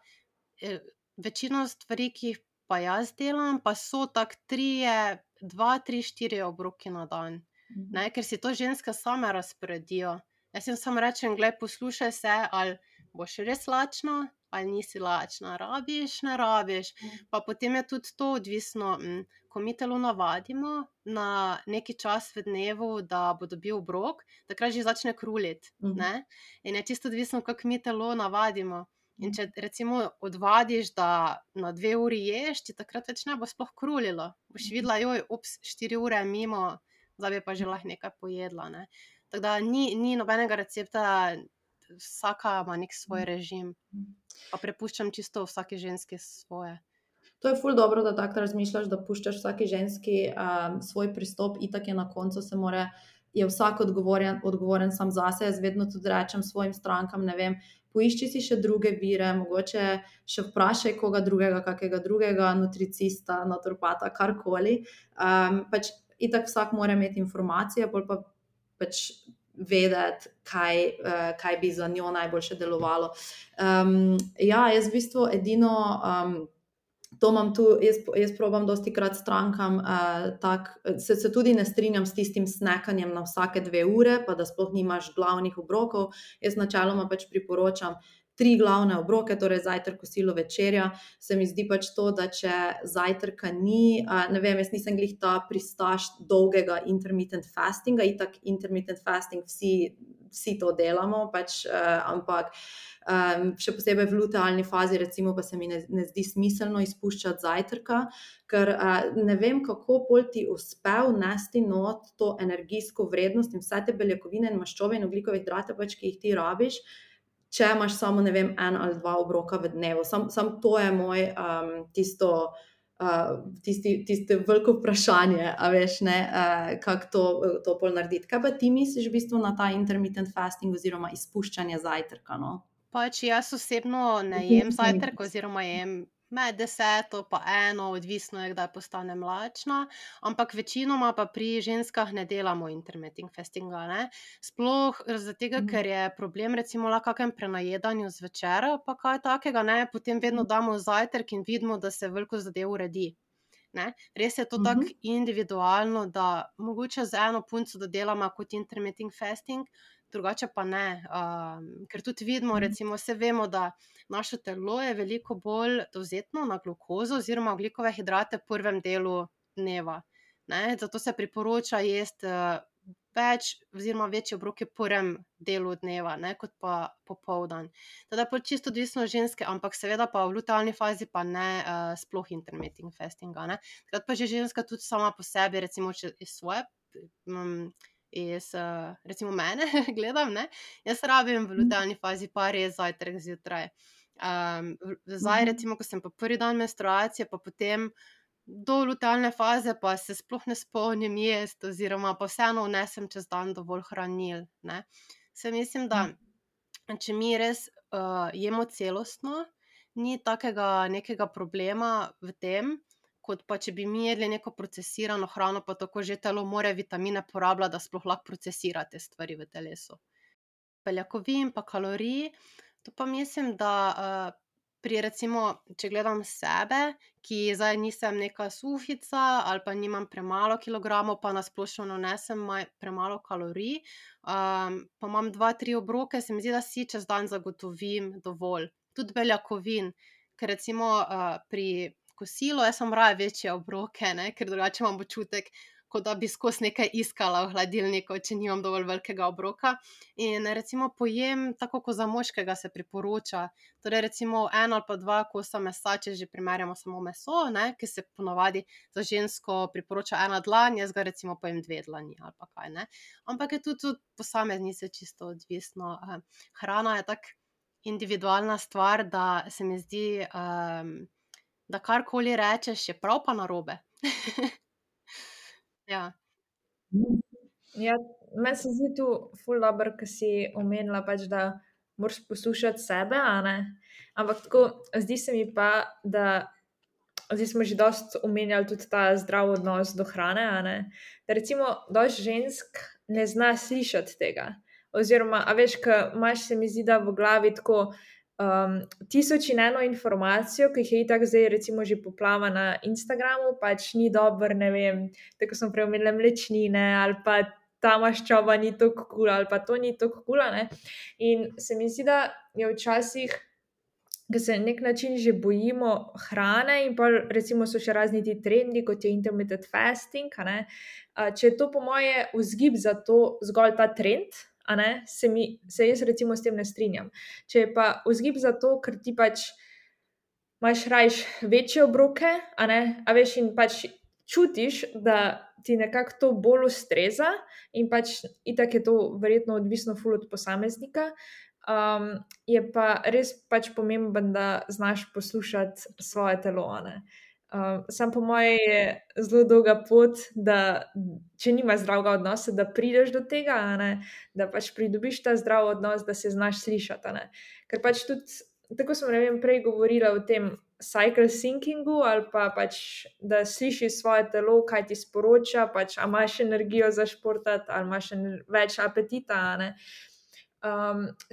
A: eh, večino stvari, ki jih pa jaz delam, pa so tak trije, dva, tri, štiri obroki na dan, ne, ker si to ženske same razporedijo. Jaz jim samo rečem, glej, poslušaj se, ali boš res lačna, ali nisi lačna, rabiš, ne rabiš. Pa potem je tudi to odvisno, m, ko mi telo navadimo na neki čas v dnevu, da bo dobil obrok, takrat že začne kruliti,
C: Mhm.
A: ne. In je čisto odvisno, kako mi telo navadimo. In če recimo odvadiš, da na dve uri ješ, ti takrat več ne bo sploh krulilo. Boš videla, joj, ups, štiri ure je mimo, zdaj bi pa že lahko nekaj pojedla, ne. Tako da ni, ni nobenega recepta, vsaka ima nek svoj režim. Pa prepuščam čisto vsaki ženski svoje.
C: To je ful dobro, da tako razmišljaš, da puščaš vsaki ženski um, svoj pristop, itak je na koncu se more, je vsak odgovoren, odgovoren sam zase. Jaz vedno tudi rečem svojim strankam, ne vem, poišči si še druge vire, mogoče še vprašaj koga drugega, kakega drugega nutricista, naturopata, karkoli. Um, pač itak vsak mora imeti informacije, pol pa pač vedeti, kaj, uh, kaj bi za njo najboljše delovalo. Um, ja, jaz v bistvu edino... Um, To imam tu, jaz, jaz probam dosti krat strankam, uh, tak, se, se tudi ne strinjam s tistim snekanjem na vsake dve ure, pa da sploh nimaš glavnih obrokov. Jaz načeloma pač priporočam tri glavne obroke, torej zajtrk, kosilo, večerja. Se mi zdi pač to, da če zajtrka ni, uh, ne vem, jaz nisem glih ta pristaš dolgega intermittent fastinga, itak intermittent fasting vsi, vsi to delamo, pač, uh, ampak Um, še posebej v lutealni fazi, recimo, pa se mi ne, ne zdi smiselno izpuščati zajtrka, ker uh, ne vem, kako pol ti uspe vnesti not to energijsko vrednost in vse te beljakovine in maščobe in ogljikove hidrate, pač, ki jih ti rabiš, če imaš samo, ne vem, en ali dva obroka v dnevu. Sam, sam to je moj um, tisto, uh, tisti, tisti veliko vprašanje, a veš, ne, uh, kako to, to pol narediti. Kaj pa ti misliš v bistvu na ta intermittent fasting oziroma izpuščanje zajtrka, no?
A: Pač jaz osebno ne jem zajtrk oziroma jem med deseto pa eno, odvisno je, kdaj postanem lačna, ampak večinoma pa pri ženskah ne delamo intermittent fastinga, ne. Sploh zaradi tega, ker je problem recimo lahko kakem prenajedanju zvečer pa kaj takega, ne, potem vedno damo zajtrk in vidimo, da se veliko zadev uredi, ne. Res je to tako individualno, da mogoče z eno punco dodelamo kot intermittent fasting, drugače pa ne, um, ker tudi vidimo, recimo, se vemo, da naše telo je veliko bolj dovzetno na glukozo oziroma ogljikove hidrate v prvem delu dneva, ne, zato se priporoča jesti uh, več oziroma večje obroke v prvem delu dneva, ne, kot pa popoldan. Teda pa čisto odvisno od ženske, ampak seveda pa v lutealni fazi pa ne uh, sploh intermittent fastinga, ne. Takrat pa že ženska tudi sama po sebi, recimo, če iz svoje, um, iz, uh, recimo mene gledam, ne, jaz rabim v lutealni fazi pa res zajtrk zjutraj. Um, zdaj recimo, ko sem pa prvi dan menstruacije, pa potem do lutealne faze pa se sploh ne spomnim jesti oziroma pa vseeno vnesem čez dan dovolj hranil, ne. Saj mislim, da če mi res, jemo celostno, ni takega nekega problema v tem, kot pa če bi mi jedli neko procesirano hrano, pa tako že telo more vitamine porabljati, da sploh lahko procesira te stvari v telesu. Beljakovin pa kalorij, to pa mislim, da, pri recimo, če gledam sebe, ki zdaj nisem neka suhica ali pa nimam premalo kilogramov, pa na splošno ne vnesem premalo kalorij, pa imam dva, tri obroke, se mi zdi, da si čez dan zagotovim dovolj. Tudi beljakovin, ker recimo, pri kosilu jaz imam raje večje obroke, ne, ker drugače imam občutek, kot da bi skozi nekaj iskala v hladilniku, če nimam dovolj velikega obroka. In recimo pojem tako kot za moškega se priporoča, torej recimo en ali pa dva kosa mesa, če že primerjamo samo meso, ne, ke se po navadi za žensko priporoča ena dlan, jaz ga recimo pojem dve dlani ali pa kaj, ne. Ampak je tudi od posameznice čisto odvisno, hrana je tako individualna stvar, da se mi zdi, da karkoli rečeš, je prav pa narobe. Ja.
B: Ja, meni se zdi to ful dobro, ke si omenila pač, da moraš poslušati sebe, a ne, ampak tako, zdi se mi pa, da zdaj smo že dosti omenjali tudi ta zdrav odnos do hrane, a ne, da recimo dosti žensk ne zna slišati tega oziroma, a veš, ke imaš, se mi zdi, da v glavi tako, tisoč in eno informacijo, ke jih je itak zdaj recimo že poplava na Instagramu, pač ni dobro, ne vem, tako kot smo prej omenile, mlečnine ali pa ta maščoba ni toliko kul ali pa to ni toliko kul, a ne, in se mi zdi, da je včasih, ke se na neki način že bojimo hrane in pol recimo so še razni ti trendi, kot je intermittent fasting, a ne, če je to po moje vzgib za to zgolj ta trend, a ne, se mi, se jaz recimo s tem ne strinjam. Če je pa vzgib za to, ker ti pač imaš rajši večje obroke, a ne, a veš, in pač čutiš, da ti nekako to bolj ustreza, in pač itak je to verjetno odvisno ful od posameznika, je pa res pač pomembno, da znaš poslušati svoje telo, a ne. samo po moje je zelo dolga pot, da če nimaš zdravega odnosa, da prideš do tega, a ne, da pač pridobiš ta zdrav odnos, da se znaš slišati, a ne. Ker pač tudi, tako smo, ne vem, prej govorile o tem cycle thinkingu ali pa pač, da slišiš svoje telo, kaj ti sporoča, pač a imaš energijo za športati ali imaš več apetita, a ne.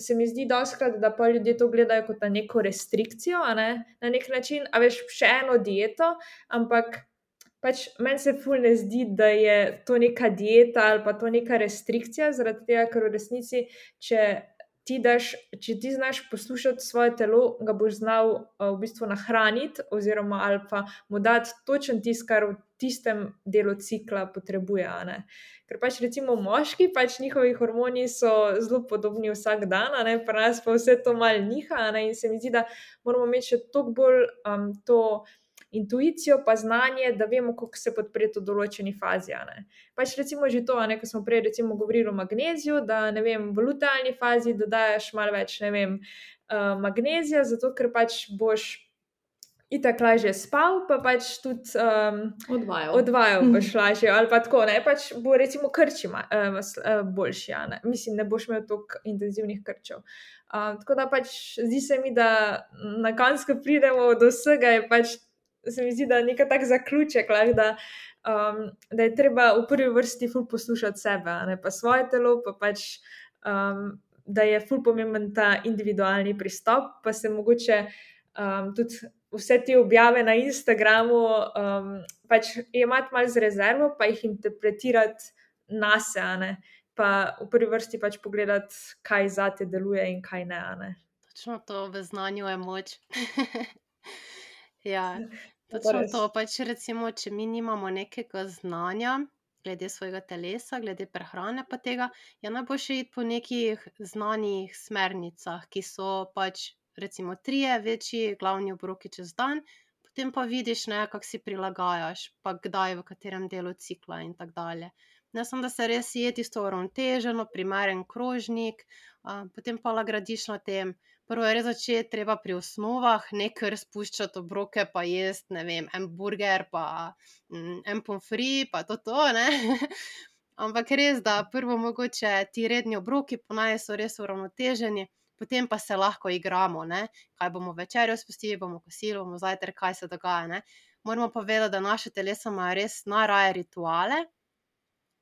B: se mi zdi dostikrat, da pol ljudje to gledajo kot na neko restrikcijo, a ne, na neki način, a veš, še eno dieto, ampak pač meni se ful ne zdi, da je to neka dieta ali pa to neka restrikcija, zaradi tega, ker v resnici, če ti daš, če ti znaš poslušati svoje telo, ga boš znal, v bistvu nahraniti oziroma ali pa mu dati točno tisto, kar v tistem delu cikla potrebuje, a ne. Ker pač recimo moški, pač njihovi hormoni so zelo podobni vsak dan, a ne, pri nas pa vse to malo niha, a ne, in se mi zdi, da moramo imeti še toliko bolj, to intuicijo pa znanje, da vemo, kako se podpreti v določeni fazi, a ne. Pač recimo že to, a ne, ko smo prej recimo govorili o magneziju, da, ne vem, v lutealni fazi dodajaš malo več, ne vem, magnezija, zato ker pač boš itak lažje spal, pa pač tudi,
C: Odvajal.
B: odvajal boš lažje ali pa tako, ne, pač bo recimo krči boljši, a ne, mislim, ne boš imel toliko intenzivnih krčev. tako da pač zdi se mi, da na koncu, ko pridemo do vsega, je pač, se mi zdi, da neki tak zaključek lahko, da, da je treba v prvi vrsti ful poslušati sebe, a ne, pa svoje telo pa pač, da je ful pomemben ta individualni pristop, pa se mogoče, tudi vse te objave na Instagramu, pač jemati malo z rezervo pa jih interpretirati nase, a ne, pa v prvi vrsti pač pogledati, kaj zate deluje in kaj ne, a ne.
A: Točno to, v znanju je moč. Ja,
B: To pa
A: točno
B: res.
A: to, pač recimo, če mi nimamo nekega znanja glede svojega telesa, glede prehrane pa tega, je najboljše iti po nekih znanih smernicah, ki so pač recimo trije večji glavni obroki čez dan, potem pa vidiš, ne, kako si prilagajaš, pa kdaj, v katerem delu cikla in tako dalje. Ne samo, da se res je tisto uravnoteženo, primeren krožnik, a, potem pa lahko gradiš na tem. Prvo je res začeti treba pri osnovah, ne kar spuščati obroke pa jesti, ne vem, en burger pa mm, en pomfri pa to to, ne. Ampak res, da prvo mogoče ti redni obroki po naj so res uravnoteženi, potem pa se lahko igramo, ne. Kaj bomo večerjo spustili, bomo kosilo, bomo zajtrk, kaj se dogaja, ne. Moramo pa vedeti, da naše telesa imajo res najraje rituale.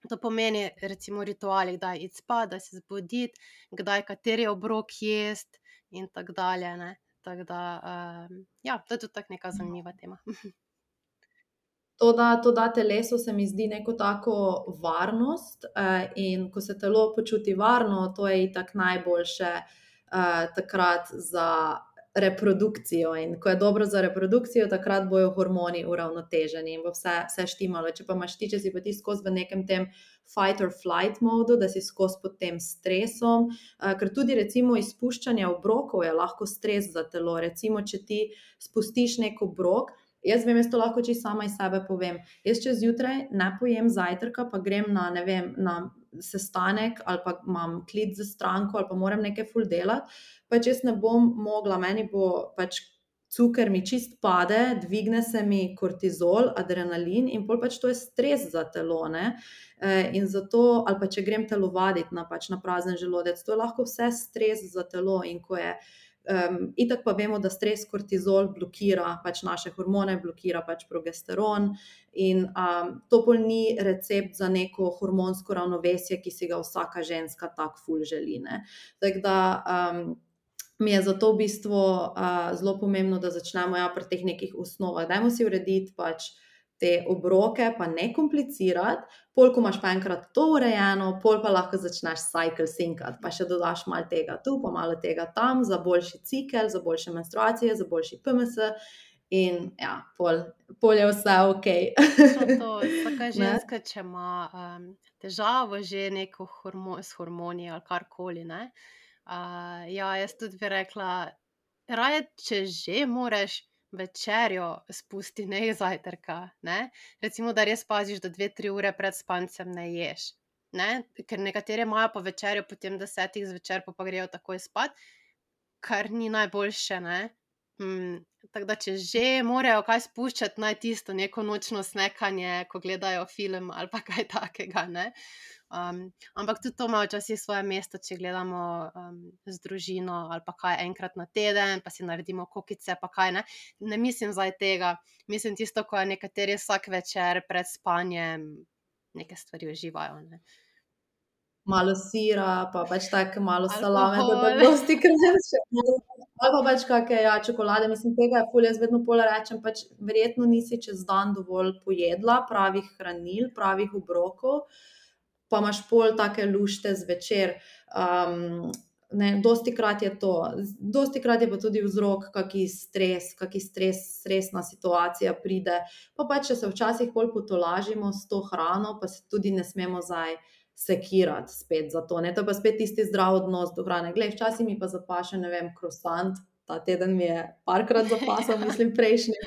A: To pomeni recimo rituali, kdaj iti spat, kdaj se zbuditi, kdaj kateri obrok jesti in tako dalje, ne. Tako da, ja, to je tudi tako neka zanimiva tema.
C: To da, to da telesu, se mi zdi, neko tako varnost, in ko se telo počuti varno, to je itak najboljše, takrat za reprodukcijo, in ko je dobro za reprodukcijo, takrat bojo hormoni uravnoteženi in bo vse, vse štimalo. Če pa imaš ti, če si pa ti skozi v nekem tem fight or flight modu, da si skozi pod tem stresom, ker tudi recimo izpuščanje obrokov je lahko stres za telo. Recimo, če ti spustiš neki obrok, jaz vem, jaz to lahko čisto sama iz sebe povem. Jaz čez zjutraj ne pojem zajtrka, pa grem na, ne vem, na sestanek ali pa imam klic za stranko ali pa moram nekaj ful delati, pač jaz ne bom mogla, meni bo pač cuker mi čist pade, dvigne se mi kortizol, adrenalin in pol pač to je stres za telo, ne. In zato, ali pa če grem telovaditi na pač na prazen želodec, to je lahko vse stres za telo, in ko je Um, itak pa vemo, da stres kortizol blokira pač naše hormone, blokira pač progesteron in um, to pol ni recept za neko hormonsko ravnovesje, ki si ga vsaka ženska tak ful želi, ne. Tako da um, mi je zato v bistvu uh, zelo pomembno, da začnemo ja pri teh nekih osnovah. Dajmo si urediti pač te obroke, pa ne komplicirati, pol, ko imaš pa enkrat to urejeno, pol pa lahko začneš cycle syncati, pa še dodaš malo tega tu, pa malo tega tam, za boljši cikel, za boljše menstruacije, za boljši P M S in ja, pol, pol je vse okej.
A: Točno to, vsaka ženska, če ima um, težavo že neko hormo- s hormoni ali karkoli, ne, uh, ja, jaz tudi bi rekla, raje, če že moreš, večerjo spusti, ne zajtrka, ne. Recimo, da res paziš, da dve, tri ure pred spancem ne ješ, ne, ker nekateri imajo po večerjo potem desetih zvečer, pol pa grejo takoj spat, kar ni najboljše, ne. Mm, tako da, če že morajo kaj spuščati, naj tisto neko nočno snekanje, ko gledajo film ali pa kaj takega, ne. Um, ampak tudi to ima včasih svoje mesto, če gledamo um, z družino ali pa kaj enkrat na teden, pa si naredimo kokice pa kaj, ne. Ne mislim zdaj tega, mislim tisto, ko je nekateri vsak večer pred spanjem neke stvari uživajo, ne.
C: Malo sira, pa pač tako malo salame, to
A: Alkohol.
C: tako dostikrat še ali pa pač kake, ja, čokolade, mislim, tega je ful, jaz vedno pol rečem, pač verjetno nisi čez dan dovolj pojedla pravih hranil, pravih obrokov, pa imaš pol take lušte zvečer. Um, ne, dostikrat je to, dostikrat je pa tudi vzrok kaki stres, kaki stres, stresna situacija pride, pa pač, če se včasih pol potolažimo s to hrano, pa se tudi ne smemo zdaj sekirati spet za to, ne, to je pa spet tisti zdrav odnos do hrane. Glej, včasih mi pa zapaše, ne vem, krosant, ta teden mi je parkrat zapasal, mislim prejšnji,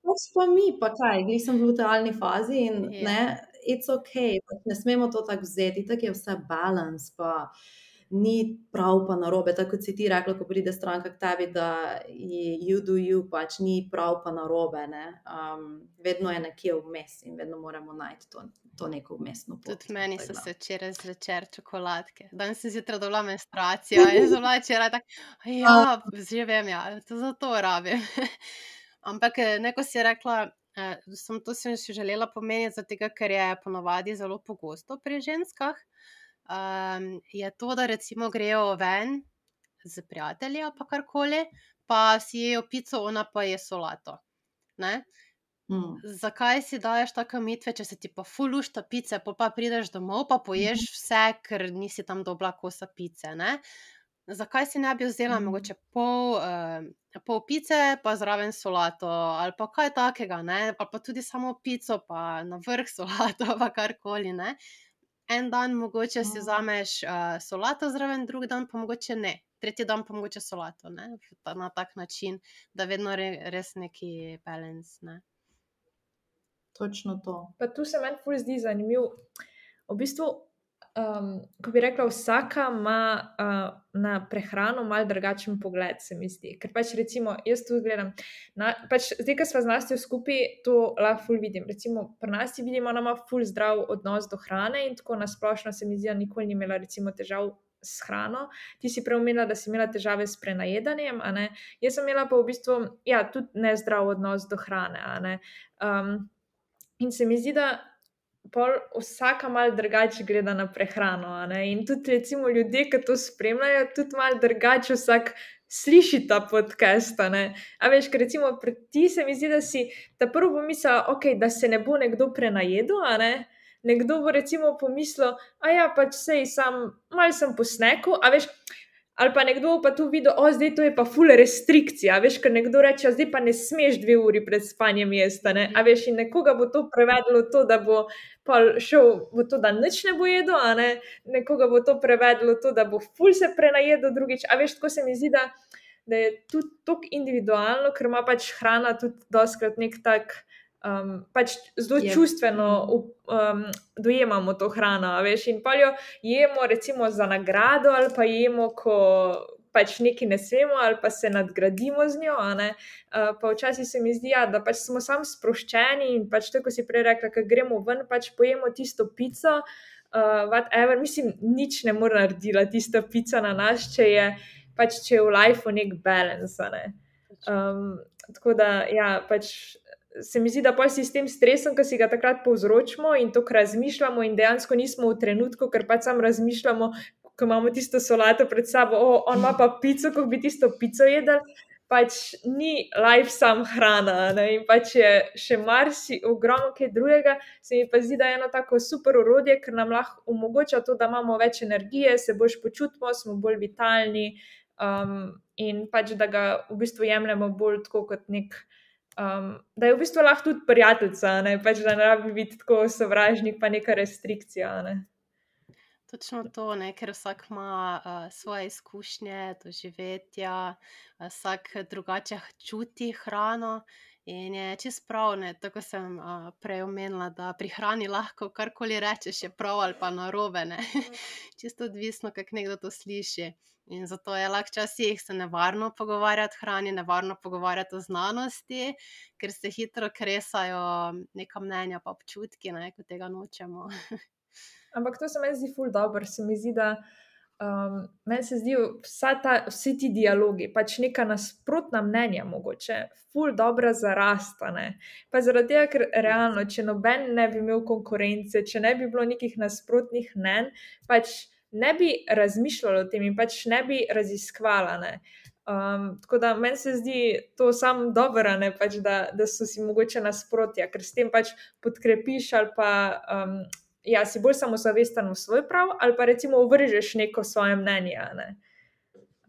C: pač pa mi, pa kaj, glih sem v lutealni fazi in
A: Ja.
C: ne, it's okej, pač ne smemo to tako vzeti, itak je vse balance, pa ni prav pa narobe, tako kot si ti rekla, ko pride stranka k tebi, da you do you, pač ni prav pa narobe, ne, um, vedno je nekje vmes in vedno moramo najti to, to neko vmesno pot.
A: Tudi meni so
C: tako da.
A: se včeraj zvečer čokoladke. Danes sem zjutraj dobila menstruacijo in sem bila včeraj tako, ja, že vem, ja, to zato rabim. Ampak, ne, ko si rekla, samo to sem si želela pomeniti, zaradi tega, ker je ponavadi zelo pogosto pri ženskah, um, je to, da recimo grejo ven s prijatelji ali pa karkoli, pa si jejo pico, ona pa je solato, ne.
C: Mm.
A: Zakaj si daješ take omejitve, če se ti pa ful lušta pice, pol pa prideš domov, pa poješ vse, ker nisi tam dobila kosa pice, ne. Zakaj si ne bi vzela
C: Mhm.
A: mogoče pol, pol pice pa zraven solato ali pa kaj takega, ne, ali pa tudi samo pico pa na vrh solato pa karkoli, ne. En dan mogoče si vzameš, solato zraven, drug dan pa mogoče ne. Tretji dan pa mogoče solato, ne, na tak način, da vedno res neki balance, ne.
C: Točno to.
B: Pa tu se meni ful zdi zanimiv v bistvu, um, ko bi rekla, vsaka ima uh, na prehrano malo drugačen pogled, se mi zdi. Ker pač recimo, jaz tu gledam, na, pač zdaj, ko sva z Nastjo skupaj, to lahko ful vidim. Recimo, pri Nastji vidimo, ona ima ful zdrav odnos do hrane in tako nasplošno se mi zdi, da nikoli ni imela recimo težav s hrano. Ti si prej omenila, da si imela težave s prenajedanjem, a ne? Jaz sem imela pa v bistvu, ja, tudi nezdrav odnos do hrane, a ne? Um, in se mi zdi, da pol vsaka malo drugače gleda na prehrano, a ne? In tudi recimo ljudje, ki to spremljajo, tudi malo drugače vsak sliši ta podcast, a ne? A veš, ker recimo pri ti se mi zdi, da si ta prvo pomislila, ok, da se ne bo nekdo prenajedel, a ne? Nekdo bo recimo pomislil, a ja, pač sej sam, malo sem po sneku, a veš, ali pa nekdo bo pa tu videl, o, zdaj to je pa ful restrikcija, a veš, ker nekdo reče, zdaj pa ne smeš dve uri pred spanjem jesti, a ne, a veš, in nekoga bo to prevedlo to, da bo pa šel v to, da nič ne bo jedel, a ne, nekoga bo to prevedlo to, da bo ful se prenajedel drugič, a veš, tako se mi zdi, da, da je tudi toliko individualno, ker ima pač hrana tudi dostikrat nek tak, Um, pač zelo
C: Je.
B: čustveno um, dojemamo to hrano, a veš, in pa jo jemo recimo za nagrado ali pa jemo, ko pač nekaj ne smemo ali pa se nadgradimo z njo, a ne, uh, pa včasih se mi zdi, ja, da pač smo sam sproščeni in pač tako si prej rekla, ko gremo ven, pač pojemo tisto pico, uh, whatever, mislim, nič ne more naredila tista pica na nas, če je pač, če je v lifeu nek balance, a ne. Um, tako da, ja, pač se mi zdi, da pol si s tem stresom, ki si ga takrat povzročimo in to, kar razmišljamo in dejansko nismo v trenutku, ker pač sam razmišljamo, ko imamo tisto solato pred sabo, o, on ima pa pico, ko bi tisto pico jedel, pač ni life sam hrana, ne, in pač je še marsi ogromno kaj drugega, se mi pa zdi, da je eno tako super orodje, ker nam lahko omogoča to, da imamo več energije, se boljš počutimo, smo bolj vitalni, um, in pač, da ga v bistvu jemljemo bolj tako kot nek Um, da je v bistvu lahko tudi prijateljica, ne, pač da ne rabi biti tako sovražnik pa neka restrikcija, ne.
A: Točno to, ne, ker vsak ima uh, svoje izkušnje, doživetja, uh, vsak drugače čuti hrano in je čisto prav, ne, tako sem uh, prej omenila, da pri hrani lahko karkoli rečeš, je prav ali pa narobe, ne, čisto odvisno, kako nekdo to sliši. In zato je lahko včasih se nevarno pogovarjati o hrani, nevarno pogovarjati o znanosti, ker se hitro kresajo neka mnenja pa občutki, ne, ko tega nočemo.
B: Ampak to se meni zdi ful dobro, se mi zdi, da um, meni se zdi vsa ta, vsi ti dialogi, pač neka nasprotna mnenja mogoče, ful dobra za rast, a ne. Pa zaradi tega, ker realno, če noben ne bi imel konkurence, če ne bi bilo nekih nasprotnih mnenj, pač ne bi razmišljala o tem in pač ne bi raziskvala, ne. Um, tako da meni se zdi to samo dobro, ne, pač da, da so si mogoče nasprotja, ker s tem pač podkrepiš ali pa um, ja, si bolj samozavesten v svoj prav, ali pa recimo vržeš neko svoje mnenje, a ne,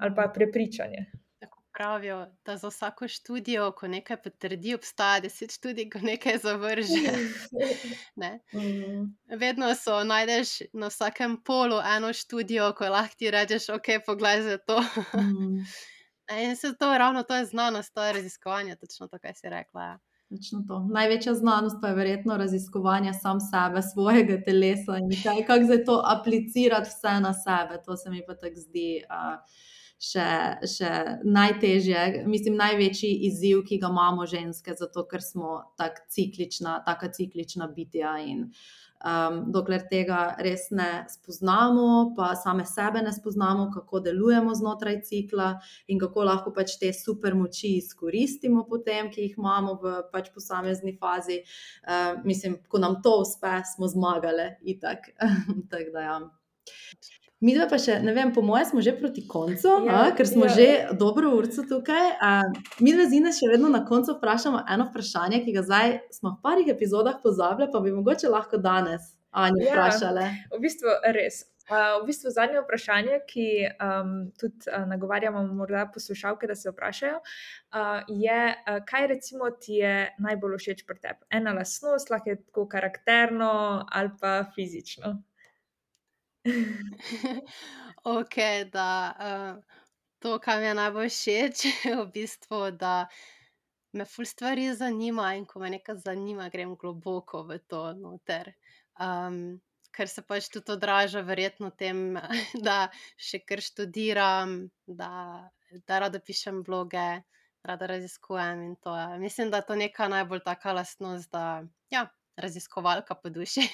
B: ali pa prepričanje.
A: Tako pravijo, da za vsako študijo, ko nekaj potrdi, obstaja deset študij, ko nekaj zavrže. Ne.
B: Mm.
A: Vedno so, najdeš na vsakem polu eno študijo, ko lahko ti rečeš, ok, poglej za to.
C: Mm.
A: In se to, ravno to je znanost, to je raziskovanje, točno to, kaj si rekla, ja.
C: Točno to. Največja znanost pa je verjetno raziskovanje sam sebe, svojega telesa in kaj, kako zdaj to aplicirati vse na sebe. To se mi pa tako zdi uh, še, še najtežje, mislim, največji izziv, ki ga imamo ženske, zato ker smo tak ciklična, taka ciklična bitja in um, dokler tega res ne spoznamo, pa same sebe ne spoznamo, kako delujemo znotraj cikla in kako lahko pač te super moči izkoristimo potem, ki jih imamo v pač posamezni fazi. Uh, mislim, ko nam to uspe, smo zmagale itak. Tak da ja. Midva pa še, ne vem, po moje smo že proti koncu,
B: Ja,
C: a, ker smo
B: ja.
C: že dobro urco tukaj. A, midva z Ines še vedno na koncu vprašamo eno vprašanje, ki ga zdaj smo v parih epizodah pozabile, pa bi mogoče lahko danes Anjo
B: Ja.
C: vprašale.
B: V bistvu res. Uh, v bistvu zadnje vprašanje, ki um, tudi uh, nagovarjamo morda poslušalke, da se vprašajo, uh, je, uh, kaj recimo ti je najbolj všeč pri tebi? Ena lastnost, lahko je tako karakterno ali pa fizično.
A: Ok, da uh, to, kar mi je najbolj všeč, je v bistvu, da me ful stvari zanima in ko me nekaj zanima, grem globoko v to noter. Um, ker se pač tudi odraža verjetno v tem, da še kar študiram, da, da rada pišem bloge, rada raziskujem in to je. Mislim, da je to neka najbolj taka lastnost, da ja, raziskovalka po duši.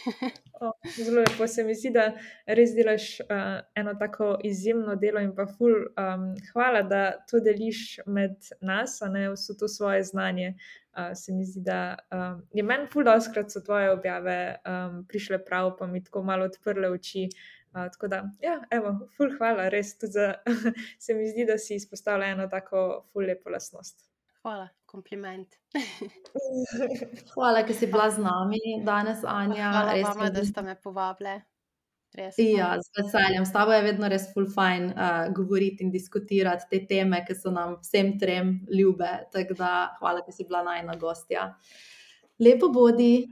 B: O, zelo lepo se mi zdi, da res delaš uh, eno tako izjemno delo in pa ful um, hvala, da to deliš med nas, a ne vso to svoje znanje. Uh, se mi zdi, da um, je meni ful dostikrat so tvoje objave um, prišle prav, pa mi tako malo odprle oči. Uh, tako da, ja, evo, ful hvala, res tudi za, se mi zdi, da si izpostavila eno tako ful lepo lastnost.
A: Hvala, kompliment.
C: Hvala, ker si bila z nami danes, Anja.
A: Hvala
C: Res
A: vama,
C: mi
A: da
C: je-
A: ste me povabile. Res.
C: Ja,
A: hvala.
C: z veseljem. S tabo je vedno res ful fajn uh, govoriti in diskutirati te teme, ki so nam vsem trem ljube. Tako da hvala, ker si bila najina gostja. Lepo bodi.